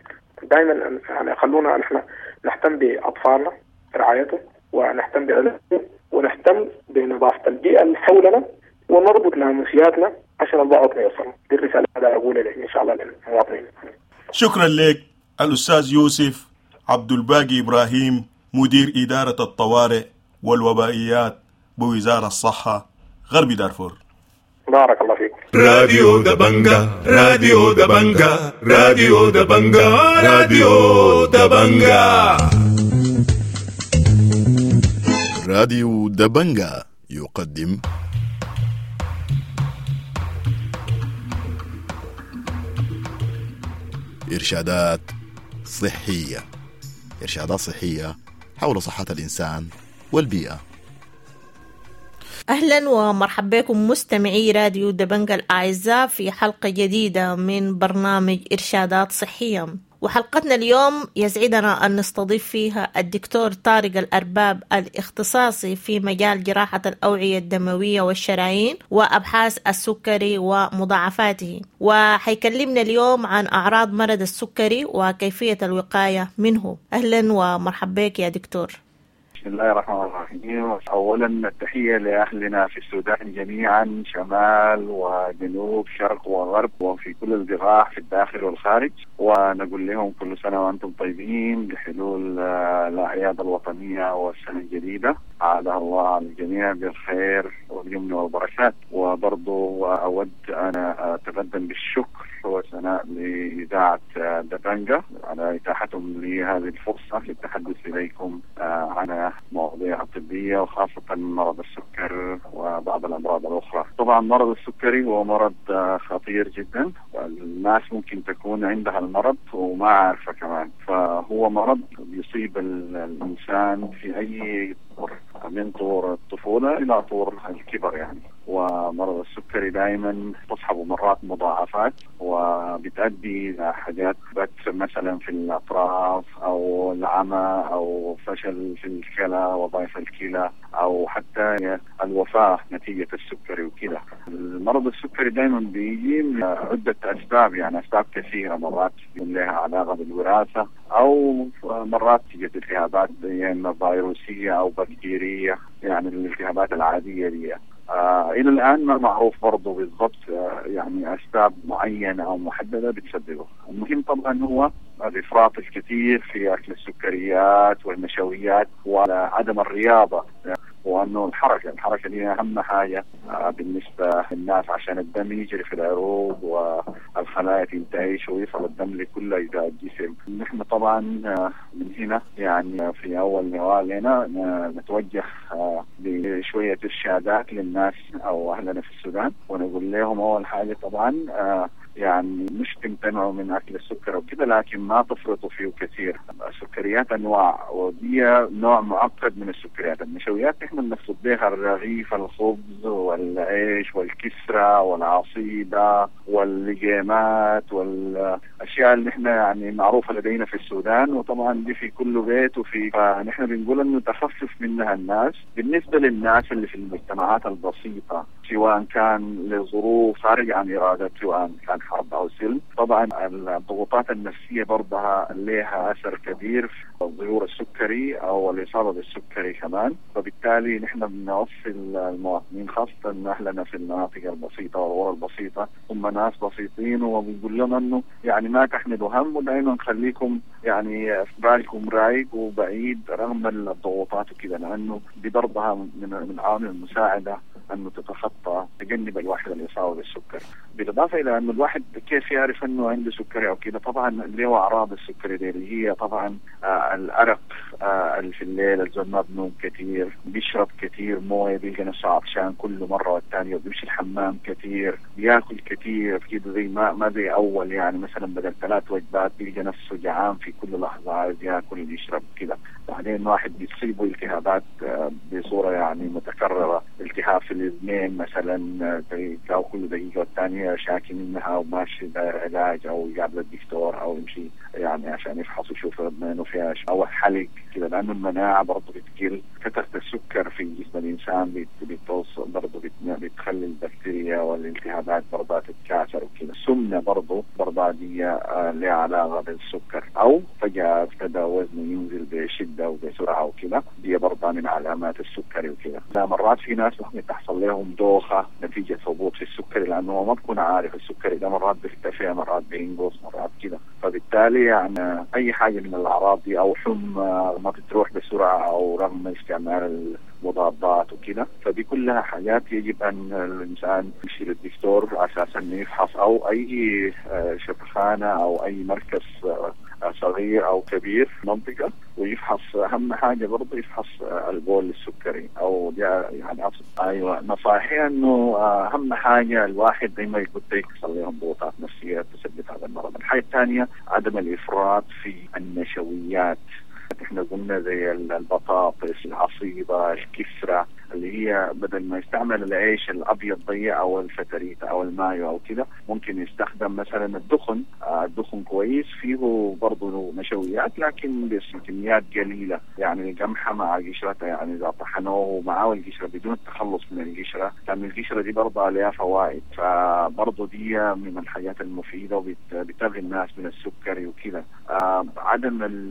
دائما يعني خلونا نحن نهتم بأطفالنا رعايتهم، ونهتم بعلاجهم، ونهتم بنظافة البيئة اللي حولنا، ونربط ناموسياتنا عشان البعوض ما يوصل. دي الرسالة اللي أقولها إن شاء الله للمواطنين. شكرا لك الأستاذ يوسف عبد الباقي إبراهيم، مدير إدارة الطوارئ والوبائيات بوزارة الصحة غرب دارفور. بارك الله فيك. راديو دبنجا، راديو دبنجا، راديو دبنجا، راديو دبنجا. راديو دبنجا يقدم إرشادات صحية. إرشادات صحية حول صحة الإنسان والبيئة. أهلا ومرحبا بكم مستمعي راديو دبنجا الأعزاء في حلقة جديدة من برنامج إرشادات صحية. وحلقتنا اليوم يسعدنا أن نستضيف فيها الدكتور طارق الأرباب الاختصاصي في مجال جراحة الأوعية الدموية والشرايين وأبحاث السكري ومضاعفاته، وحيكلمنا اليوم عن أعراض مرض السكري وكيفية الوقاية منه. أهلا ومرحبا بك يا دكتور. بسم الله الرحمن الرحيم. أولا التحية لأهلنا في السودان جميعا، شمال وجنوب، شرق وغرب، وفي كل البقاع في الداخل والخارج، ونقول لهم كل سنة وأنتم طيبين بحلول الأعياد الوطنية والسنة الجديدة، أعادها الله على الجميع بالخير واليمن والبركات. وبرضو أود أن أتقدم بالشكر والثناء لإذاعة دبنجا على إتاحتهم لهذه الفرصة للتحدث إليكم عن مواضيع طبية، وخاصة مرض السكر وبعض الأمراض الأخرى. طبعا مرض السكري هو مرض خطير جدا، الناس ممكن تكون عندها المرض وما عارفة كمان. فهو مرض بيصيب الإنسان في أي طور، من طور الطفولة إلى طور الكبر يعني. ومرض السكري دائما تصحبه مرات مضاعفات، وبتؤدي إلى حاجات بتر مثلا في الأطراف أو العمى أو فشل في الكلى، وظائف الكلى، أو حتى الوفاة نتيجة السكري وكذا. المرض السكري دائما بيجي من عدة أسباب، يعني أسباب كثيرة، مرات لها علاقة بالوراثة، أو مرات تيجي التهابات يعني فيروسية أو بكتيرية، يعني الالتهابات العادية دي. إلى الآن ما معروف برضه بالضبط يعني أسباب معينة أو محددة بتسببه. المهم طبعا هو الإفراط الكثير في أكل السكريات والنشويات وعدم الرياضة، وأنه الحركة دي أهم حاجة بالنسبة للناس عشان الدم يجري في العروق والخلايا تنتعش ويصل الدم لكل أجزاء الجسم. نحن طبعا من هنا يعني في أول لقاء لنا نتوجه بشوية إرشادات للناس أو أهلنا في السودان، ونقول لهم أول حاجة طبعا يعني مش تمتنعوا من أكل السكر وكذا، لكن ما تفرطوا فيه كثير. السكريات أنواع، ودي نوع معقد من السكريات. النشويات نحن بنقصد بها الرغيف، الخبز والعيش والكسرة والعصيدة واللقيمات والأشياء اللي احنا يعني معروفة لدينا في السودان، وطبعا دي في كل بيت وفي، فنحن بنقول إنه تخفف منها الناس. بالنسبة للناس اللي في المجتمعات البسيطة، سواء كان لظروف خارج عن إرادته، سواء كان حرب أو سلم، طبعا الضغوطات النفسية برضها لها أثر كبير في ظهور السكري أو الإصابة بالسكري كمان. فبالتالي نحن بنوصي المواطنين، خاصة أهلنا في المناطق البسيطة والقرى البسيطة، هم ناس بسيطين، وبنقول لهم أنه يعني ما تحملوا هم، ودائما خليكم يعني في بالكم رايق وبعيد رغم الضغوطات وكذا، لأنه دي برضها من العوامل المساعدة أنه تتخطى تجنب الواحد الإصابة بالسكر. بالإضافة إلى أنه الواحد كيف يعرف أنه عنده سكري أو كذا، طبعا اللي هو أعراض السكري دي اللي هي طبعا الأرق اللي في الليل، الزول ما بنوم كثير، بيشرب كثير موية، بيلقى نفسه عطشان كل مرة والثانية، وبيمشي الحمام كثير، بياكل كثير كده زي ما زي أول، يعني مثلا بدل 3 وجبات بيلقى نفسه جعان في كل لحظة، عايز ياكل ويشرب كده. بعدين واحد بيصيبه التهابات بصورة يعني متكررة، التهاب في الاذنين مثلا كل دقيقة والثانية شاكي منها وماشي داير علاج أو يقابل الدكتور أو يمشي يعني عشان يفحص ويشوف اذنه فيها أو حلق كده، لأنه المناعة برضه بتقل. كثرة السكر في جسم الإنسان بتوصل برضه بتخلي البكتيريا والالتهابات برضه تتكاثر وكده. السمنة برضه دي لها علاقة بالسكر، أو فجأة ابتدى وزنه ينزل بشدة وبسرعة وكده، دي برضه من علامات السكري وكده. مرات في ناس ممكن تحصل لهم دوخة نتيجة هبوط في السكري، لأنه ما بكون عارف السكري ده مرات بيرتفع مرات بينقص مرات كده. فبالتالي يعني اي حاجة من الاعراض دي او حمى ما بتروح بسرعة او رغم استعمال المضادات وكده، فدي كلها حاجات يجب ان الانسان يمشي للدكتور على اساس انه يفحص، او اي شفخانه او اي مركز صغير او كبير في منطقة ويفحص. اهم حاجة برضه يفحص البول السكري او يعني ايوه. نصائحي انه اهم حاجة الواحد زي ما قلت يحصل لهم ضغوطات نفسية تسبب هذا المرض. الحاجة الثانية عدم الافراط في النشويات، احنا قلنا زي البطاطس، العصيبة، الكسرة، اللي هي بدل ما يستعمل العيش الابيض ضيع او الفتريته او المايو او كده، ممكن يستخدم مثلا الدخن. الدخن كويس فيه برضه نشويات لكن بكميات قليله، يعني القمحه مع قشرتها، يعني اذا طحنوه معاه القشرة بدون التخلص من القشرة، لان القشرة دي برضه عليها فوائد، فبرضه دي من الحاجات المفيدة وبتغني الناس من السكري وكده. عدم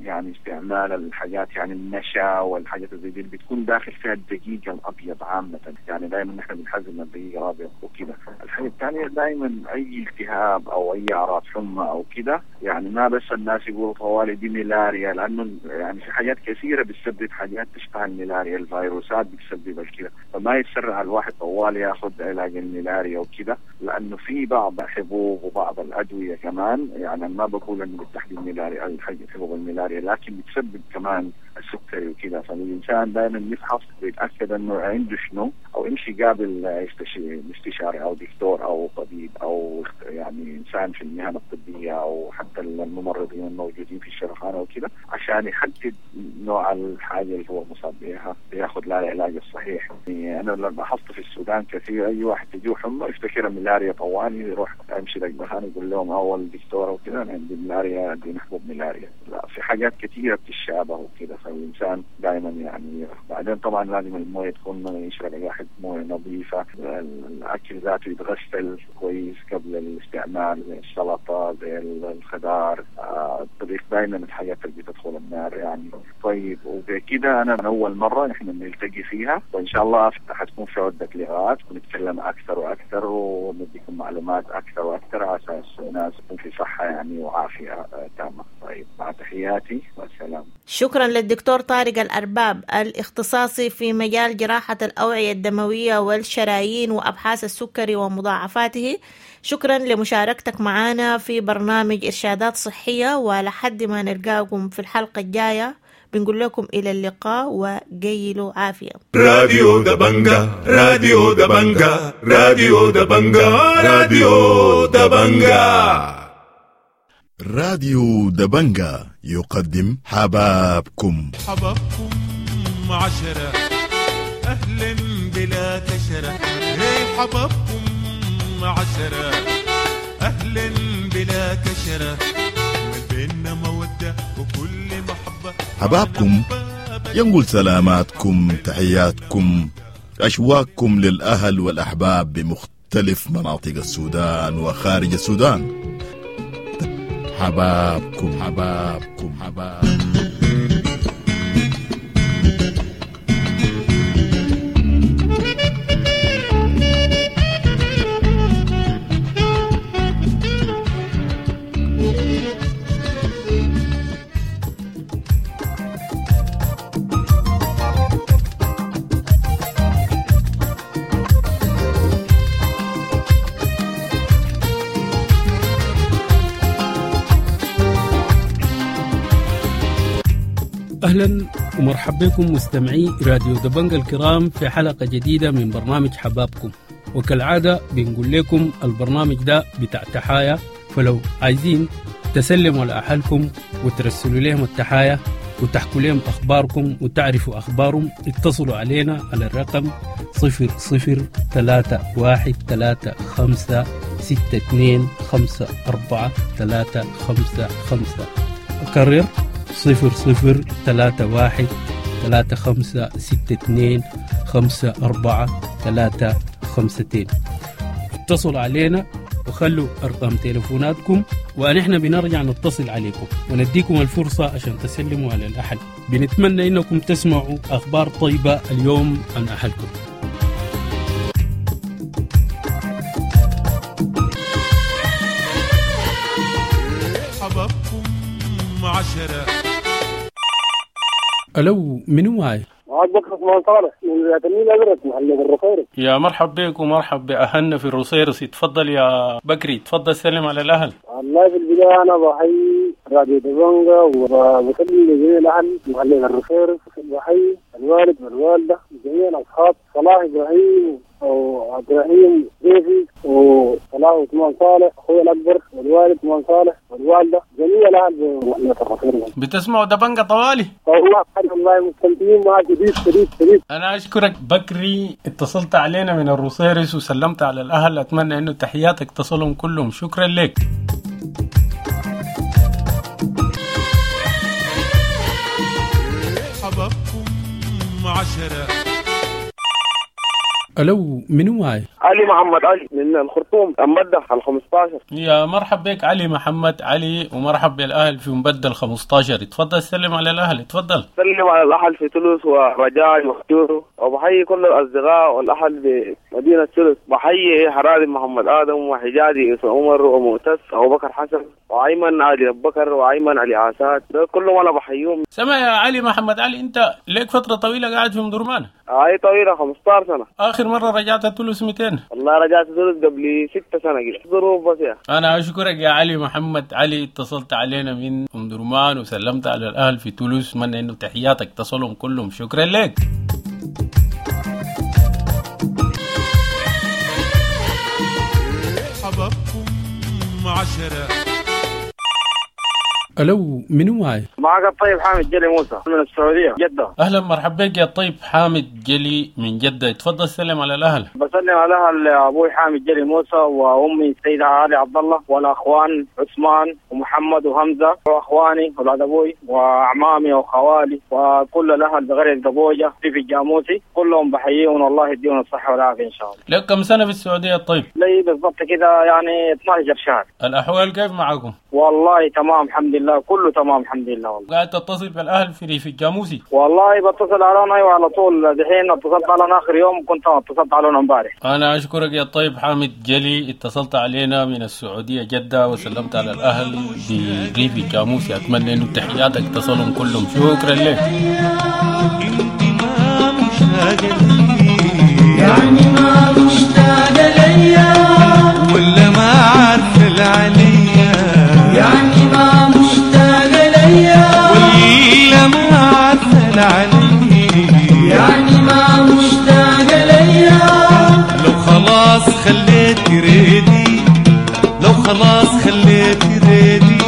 يعني استعمال الحاجات يعني النشا والحاجات زي دي اللي بتكون داخل فيها الدقيق الابيض عامة، يعني دائما نحن بنحزم الدقيق الابيض وكده. الحاجة الثانية دائما اي التهاب او اي اعراض حمى او كده، يعني ما بس الناس يقولوا طوالي دي ملاريا، لانه يعني في حاجات كثيرة بتسبب حاجات تشبه الملاريا، الفيروسات بتسبب الكده، فما يتسرع الواحد طوالي ياخذ علاج الملاريا وكده، لانه في بعض الحبوب وبعض الادوية كمان، يعني ما بقول انه بالتحديد ملاريا حبوب الملاريا، لكن بتسبب كمان السكري وكده. فالانسان دائما يفحص ويتاكد انه عنده شنو، او يمشي قابل استشاري او دكتور او طبيب او يعني انسان في المهن الطبية او حتى الممرضين الموجودين في الشرخانه وكده، عشان يحدد نوع الحاجة اللي هو مصاب بها وياخذ لها العلاج الصحيح. يعني انا لاحظت في السودان كثير اي واحد تجيه حمى يفتكرها ملاريا طوالي، يروح يمشي للمكان يقول لهم اول دكتور وكده انا عندي ملاريا، اديني حبوب ملاريا. لا، في حاجات كثيرة بتتشابه وكده، فالانسان دائما يعني. بعدين طبعا لازم المويه تكون يشرب الواحد مويه نظيفة، الاكل ذاته يتغسل كويس قبل الاستعمال، زي السلطة زي الخضار، الطبيخ دائما الحاجات اللي بتدخل النار يعني. طيب وبكده انا من اول مرة نحن بنلتقي فيها، وان شاء الله حتكون في عده لقاءات ونتكلم اكثر واكثر ونديكم معلومات اكثر واكثر على اساس الناس تكون في صحة يعني وعافيه تامة. طيب مع تحياتي والسلام. شكرا للدكتور طارق الأرباب الاختصاصي في مجال جراحة الأوعية الدموية والشرايين وأبحاث السكري ومضاعفاته. شكرا لمشاركتك معنا في برنامج إرشادات صحية، ولحد ما نلقاكم في الحلقة الجاية بنقول لكم إلى اللقاء وقيلوا عافية. راديو دبنجا، راديو دبنجا، راديو دبنجا، راديو دبنجا. راديو دبنجا يقدم حبابكم. حبابكم 10 أهلا بلا كشرة، حبابكم 10 أهلا بلا كشرة، بيننا مودة وكل محبة. حبابكم ينقل سلاماتكم، تحياتكم، أشواقكم للأهل والأحباب بمختلف مناطق السودان وخارج السودان. حبابكم حبابكم حبابكم. أهلا ومرحبا بكم مستمعي راديو دبنجا الكرام في حلقة جديدة من برنامج حبابكم. وكالعادة بنقول لكم البرنامج ده بتاع تحايا، فلو عايزين تسلموا على أهلكم وترسلوا لهم التحايا وتحكوا لهم أخباركم وتعرفوا أخبارهم، اتصلوا علينا على الرقم 00 3 1 3 5 6 2 5 4 3 5 5. أكرر 00 3 1 3 5 6 2 5 4 3 5 2. اتصلوا علينا وخلوا أرقام تليفوناتكم ونحن بنرجع نتصل عليكم ونديكم الفرصة عشان تسلموا على الأهل. بنتمنى إنكم تسمعوا أخبار طيبة اليوم عن أهلكم. عشرة. ألو، منو معي؟ معاك بكر عثمان صالح من ولاية النيل الأزرق، محلية الروصيرص. يا مرحب بك ومرحب بأهلنا في الروصيرص. تفضل يا بكري، تفضل سلم على الأهل. والله في البداية أنا بحيي راديو دبنجا وبسلم لجميع الأهل محلية الروصيرص، بحيي الوالد والوالدة جميع الأصحاب، صلاح إبراهيم وعبد الرحيم ضيفي وصلاح عثمان صالح أخوي الأكبر والوالد عثمان صالح والوالدة جميع الأهل بمحلية الروصيرص. بتسمعوا دبنجا طوالي؟ والله والله مستمتعين معك شديد شديد شديد. أنا أشكرك بكري، اتصلت علينا من الروصيرص وسلمت على الأهل، أتمنى إنه تحياتك تصلهم كلهم. شكرا لك. حبابكم 10. ألو، منو معي؟ علي محمد علي من الخرطوم، مبدل 15. يا مرحب بك علي محمد علي، ومرحب بالأهل في مبدل 15. تفضل سلم على الأهل. تفضل سلم على الأهل في تولوس ورجاء وخجورو، وبحيي كل الأصدقاء والأهل بمدينة تولوس. بحيي حراري محمد آدم وحجازي عمر ومؤتس أبو بكر حسن وأيمن علي أبو بكر وأيمن علي عساد، ده كلهم أنا بحييهم. سمع يا علي محمد علي، أنت لك فترة طويلة قاعد في مدرمان؟ هاي طويلة 15 سنة. آخر مرة رجعت تولوس 200؟ والله رجعت تولوس قبل 6 سنة كده، ظروف بس يا. أنا أشكرك يا علي محمد علي، اتصلت علينا من أم درمان وسلمت على الأهل في تولوس، أتمنى إنه تحياتك تصلهم كلهم. شكرا لك. حبابكم 10. ألو، منو معي؟ معك الطيب حامد جلي موسى من السعودية جدة. أهلا مرحبا بك يا الطيب حامد جلي من جدة، تفضل سلم على الأهل. بسلم على الأهل أبوي حامد جلي موسى وأمي السيدة علي عبد الله والأخوان عثمان ومحمد وهمزة وأخواني أولاد أبوي وأعمامي وخوالي وكل الأهل بقرية قبوجة في الجاموسي، كلهم بحييهم والله يديهم الصحة والعافية إن شاء الله. لك كم سنة في السعودية الطيب؟ لي بالضبط كده يعني 12 شهر. الأحوال كيف معكم؟ والله تمام الحمد لله، كله تمام الحمد لله. والله قاعد تتصل بالاهل في ريف الجاموسي؟ والله بتصل عليهم ايوه على طول، دحين اتصلت عليهم اخر يوم كنت اتصلت عليهم امبارح. انا اشكرك يا الطيب حامد جلي، اتصلت علينا من السعوديه جده وسلمت على الاهل بريف الجاموسي، اتمنى انه تحياتك تصلهم كلهم. شكرا لك. انت ما مشتاقه لي، يعني ما مشتاقه ليا، ولا ما عارفه العليا، يعني ما مشتاقة ليا، ولا ما عارفة العليا، يعني ما مشتاقة ليا. لو خلاص خليت ريدي، لو خلاص خليت ريدي،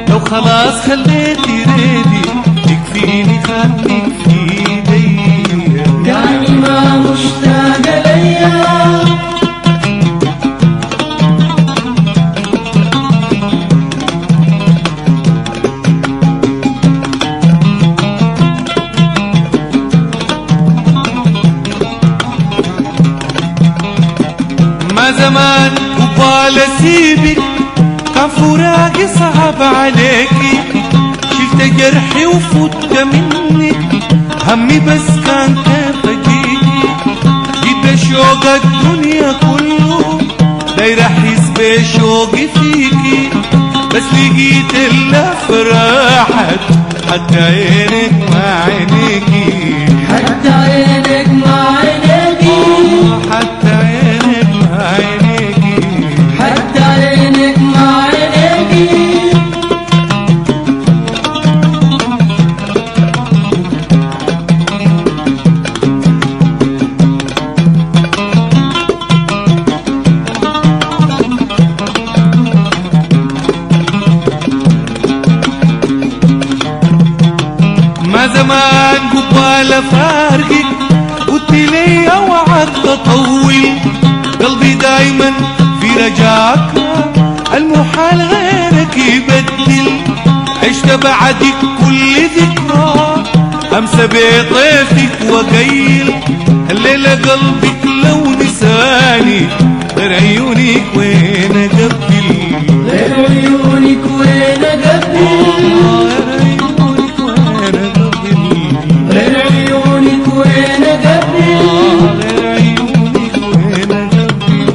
لو خلاص خليت ريدي، يكفيني خدك في ايدي، يعني ما مشتاقة ليا. ما زمان قبال اسيبك كان فراقي صعب عليكي، شلت جرحي وفوت منك، همي بس كان كيف اجيكي، جيت بشوق الدنيا كله داير احس بشوقي فيكي، بس لقيت الافراحت حتى عينك ما عينيكي، حتى عينك ما عينيكي، حتى عينك ما عينيكي، حتى عينك ما عينيكي. ما زمان قبال فارقك قلت لي اوعك تطول، قلبي دايما في رجاك المحال غيرك يبدل، عشت بعدك كل ذكرى امسى بطيفك وقيل، الليلة قلبك لو نساني غير عيونك وين اقبل، غير عيونك وين اقبل، غير عيونك وين اقبل، غير عيونك وين اقبل، غير غير عيونك عيونك وين اقبل،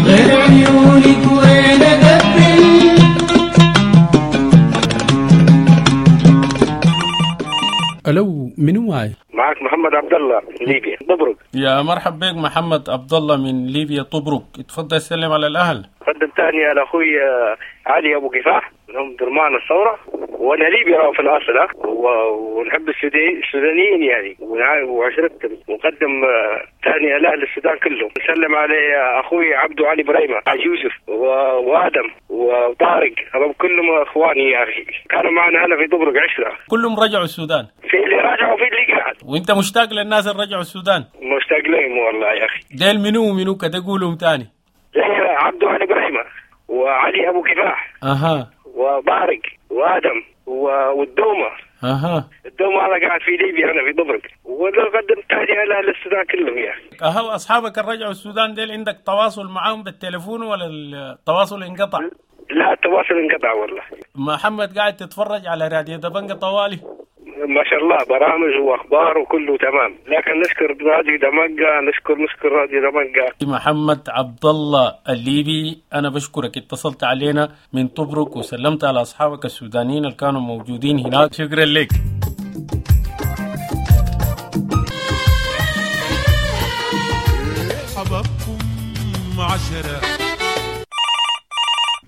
غير عيونك وين اقبل. معك محمد عبد الله من ليبيا طبرق. يا مرحب بك محمد عبد الله من ليبيا طبرق، اتفضل سلم على الاهل. قدم تهنئة لاخوي علي ابو كفاح من ام درمان الثورة، وانا ليبي في الاصل، ونحب السودانيين يعني وعشرتهم، ونقدم تهنئة لاهل السودان كلهم. نسلم على اخوي عبدو علي بريمه، حاج يوسف وادم وطارق، هذول كلهم اخواني يا اخي، كانوا معنا هنا في طبرق 10. كلهم رجعوا السودان؟ في اللي رجعوا وفي اللي قعد. وانت مشتاق للناس اللي رجعوا السودان؟ مشتاق لهم والله يا اخي. ديل منو ومنو كده قولهم تاني؟ عبدو علي بريمه وعلي ابو كفاح، اها، وطارق وادم والدومه. اها، الدومه انا قاعد في ليبيا، انا في طبرق، وقدمت تهنئة لاهل السودان كلهم يا اخي. اها، واصحابك اللي رجعوا السودان ديل عندك تواصل معاهم بالتليفون ولا التواصل انقطع؟ لا التواصل انقطع والله. محمد قاعد تتفرج على راديو دبنجة طوالي؟ ما شاء الله، برامج واخبار وكله تمام، لكن نشكر راديو دمنجة، نشكر راديو دمنجة. محمد عبد الله الليبي، انا بشكرك اتصلت علينا من طبرق وسلمت على اصحابك السودانيين اللي كانوا موجودين هناك، شكرا لك. حبابكم 10.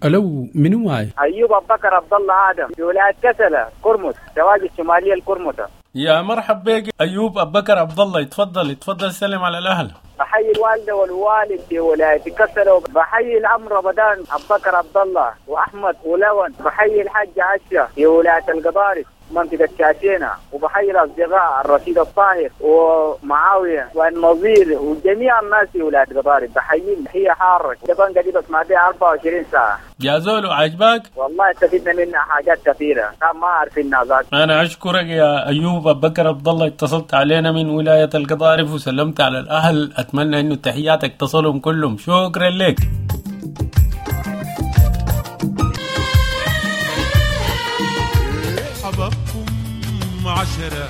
الو، منو معي؟ ايوب ابو بكر عبد الله ادم في ولاية كسله كرمت، تواجد الشمالية الكرمته. يا مرحب بك ايوب ابو بكر عبد الله، اتفضل اتفضل سلم على الاهل. بحيي الوالدة والوالد في ولاية كسله، بحيي العم رمضان ابو بكر عبد الله واحمد ولون، بحيي الحاج عشه في ولاية القضارف منطقة شاشينا، وبحيي الأصدقاء الرشيد الطاهر ومعاوية والنظير وجميع الناس في ولاية القضارف، بحييهم تحية حارة. دبنجة دي بسمع بيها 24 ساعة. يا زول عجبك؟ والله استفدنا منها حاجات كثيرة كان ما عارفينها ذات. أنا أشكرك يا أيوب أبو بكر عبد الله، اتصلت علينا من ولاية القضارف وسلمت على الأهل، أتمنى إنه تحياتك تصلهم كلهم، شكرا لك. حبابكم 10.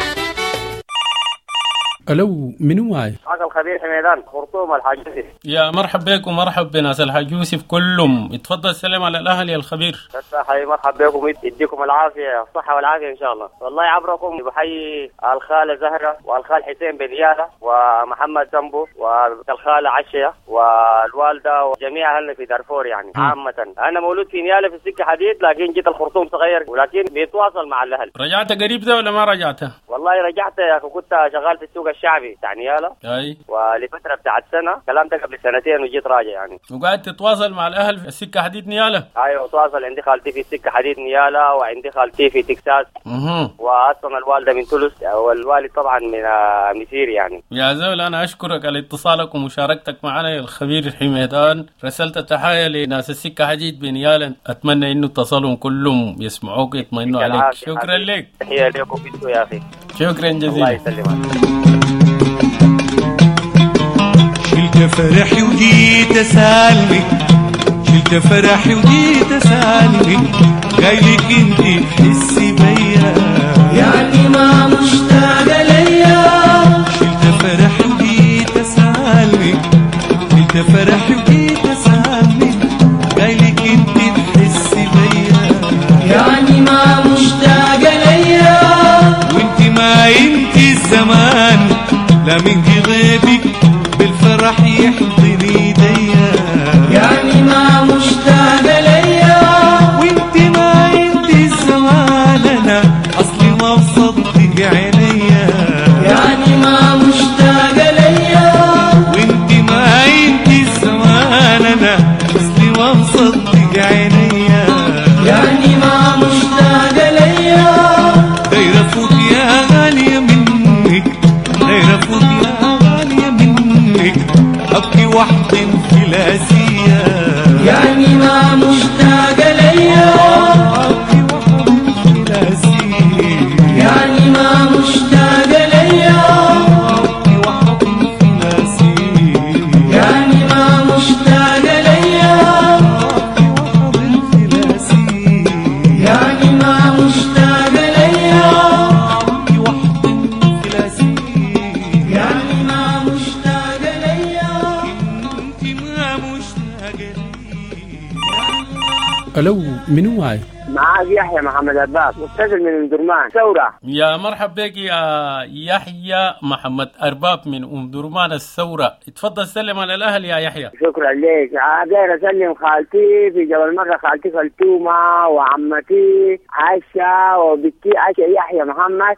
الو، منو معي؟ معك الخبير حميدان خرطوم الحاج يوسف. يا مرحب بك ومرحب بناس الحاج يوسف كلهم، اتفضل سلم على الاهل يا الخبير. حي مرحب بكم، يديكم العافية، الصحة والعافية ان شاء الله. والله عبركم بحيي الخالة زهره والخال حسين بن ياله ومحمد سمبو والخاله عشية والوالدة وجميع اهلنا في دارفور يعني عامة. انا مولود في نياله في السكة حديد، لكن جيت الخرطوم صغير، ولكن بيتواصل مع الاهل. رجعت قريب ده ولا ما رجعت؟ والله رجعت يا اخي، كنت شغال في السوق الشعبي بتاع نياله، اي، ولفترة بتاعت سنة، الكلام ده قبل سنتين، وجيت راجع يعني. وقاعد تتواصل مع الاهل في السكة حديد نياله؟ ايوه اتواصل، عندي خالتي في السكة حديد نياله، وعندي خالتي في تكساس، واصلا الوالدة من تونس، والوالد طبعا من مسير يعني. يا زول انا اشكرك على اتصالك ومشاركتك معنا يا الخبير حميدان، رسلت تحايا لناس السكة حديد بنياله، اتمنى انه اتصلهم كلهم يسمعوك يطمئنوا عليك. شكرا لك، تحية لكم انتوا يا اخي، شكرا جزيلا، الله يسلمك. شلت فرحي وجيت اسالمك، شلت فرحي وجيت اسالمك، جايلك انت تحسي بيا يعني ما مشتاقة ليا. شلت فرحي وجيت اسالمك، شلت فرحي وجيت اسالمك، جايلك انت تحسي بيا يعني ما مشتاقة ليا. وانت ما انت الزمان لا من غيبك بالفرح يحضن ايديا يعني ما مشتاقة ليا. وانت ما انت الزمان انا اصلي ما بصدق عينيا يعني ما مشتاقة ليا. وانت ما انت الزمان انا اصلي ما بصدق عينيا يعني ما مشتاقة ليا. دايرة فوق يا غالية منك، دايرة فوق يا غالية منك، أبكي واحضن في الأسية يعني ما مشتاقة ليا. أبكي واحضن في الأسية يعني ما مشتاقة ليا. أبكي واحضن في الأسية يعني ما مشتاقة ليا. أبكي واحضن في الأسية يعني ما مشتاقة ليا. أبكي واحضن في الأسية يعني ما مشتاقة ليا. انت ما مشتاقة لي. الو، منو معي؟ معاك يحيى محمد أرباب، متصل من ام درمان ثورة. يا مرحب بك يا يحيى محمد أرباب من أم درمان الثورة. اتفضل سلم على الأهل يا يحيى. شكرا لك. داير اسلم خالتي في جبل مرة، خالتي فلتومة، وعمتي عائشة، وبنتي عائشة يحيى محمد،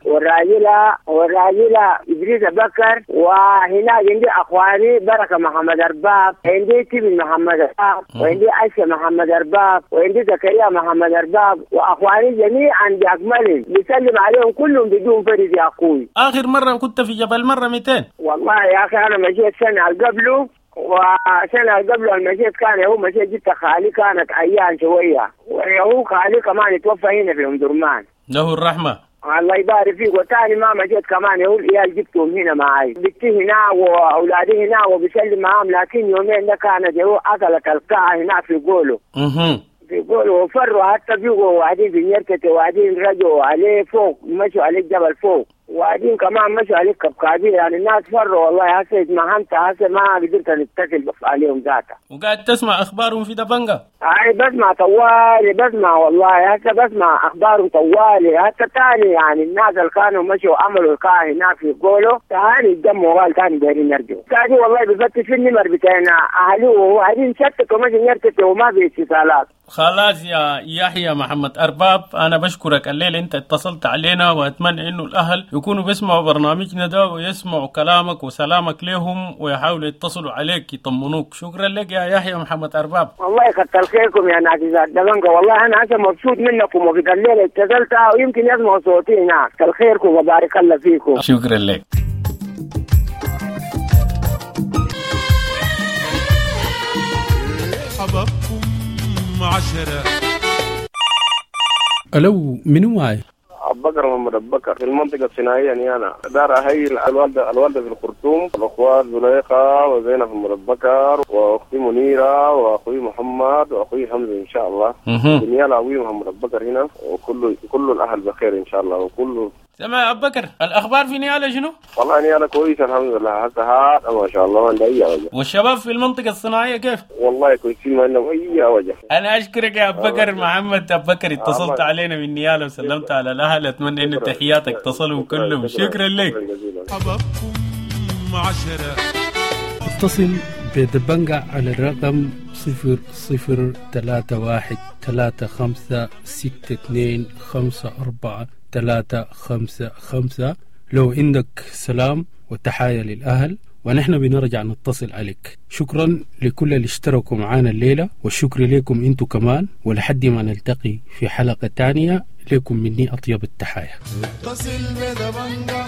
والراجلة إدريس بكر، وهناك عندي أخواني بركة محمد أرباب، عندي تبن محمد أرباب، وعندي عائشة محمد أرباب، وعندي زكريا محمد أرباب، وأخواني جميعا بأكملهم بسلم عليهم كلهم بدون فرد يا أخوي. آخر مرة كنت في جبل مرة 200؟ والله يا أخي أنا مشيت سنة قبله، وسنة قبله المشيت كان هو مشيت جبت خالي، كانت عيان شوية، وهو خالي كمان توفى هنا في أم درمان. له الرحمة. الله يبارك فيك. وتاني ما مشيت كمان هو العيال جبتهم هنا معي، بنتي هنا واولادي هنا وبسلم معاهم، لكن يومين ده كانت هو اكلت القاعة هنا في قوله. في قوله وفروا حتى بيقوا وقاعدين في نيركتي، وقاعدين رجعوا عليه فوق، مشوا عليه الجبل فوق، وبعدين كمان مشوا عليه كبكابير، يعني الناس فروا والله. هسه اتمهنت، هسه ما قدرت نتصل عليهم ذاتها. وقاعد تسمع اخبارهم في دبنجة؟ اي بسمع طوالي، بسمع والله هسه بسمع اخبارهم طوالي. حتى تاني يعني الناس اللي كانوا مشوا عملوا القاعة هناك في قولوا تاني اتجمعوا، قال تاني دايرين يرجعوا تاني. والله بفتش في النمر بتاعنا اهلي وقاعدين شتتوا مشوا يرتتوا وما في اتصالات. خلاص يا يحيى محمد أرباب، أنا بشكرك الليل أنت اتصلت علينا، وأتمنى إنه الأهل يكونوا بيسمعوا برنامجنا ده ويسمعوا كلامك وسلامك لهم ويحاولوا يتصلوا عليك يطمنوك. شكرا لك يا يحيى محمد أرباب. والله كتر خيركم يا ناس دبنجة، والله أنا هسه مبسوط منكم، وفي الليل اتصلت ويمكن يسمعوا صوتي هناك. كتر خيركم وبارك الله فيكم. شكرا لك. حبابكم 10. ألو، منو معي؟ أبو بكر محمد أبو بكر في المنطقة الصناعية نيانا. دار أهيل الوالدة في الخرطوم، الأخوات زليخة وزينب محمد بكر، وأختي منيرة، وأخوي محمد، وأخوي حمزة إن شاء الله. نيانا أبوي محمد أبو بكر هنا، وكل الأهل بخير إن شاء الله. وكل تمام يا أبو بكر، الأخبار في نيالا شنو؟ والله نيالا كويسة الحمد لله، هسه ما شاء الله ما عندها أي وجه. والشباب في المنطقة الصناعية كيف؟ والله كويسين، ما عندهم أي وجه. أنا أشكرك يا أبو بكر محمد أبو بكر، اتصلت علينا من نيالا وسلمت على الأهل، أتمنى إن تحياتك تصلوا كلهم. شكرا لك. حبابكم 10. اتصل بدبنجة على الرقم 0031 35 62 54 355 لو عندك سلام وتحايا للأهل، ونحن بنرجع نتصل عليك. شكرا لكل اللي اشتركوا معانا الليلة، والشكر لكم انتو كمان، ولحد ما نلتقي في حلقة تانية لكم مني أطيب التحايا. اتصل بدبنجة.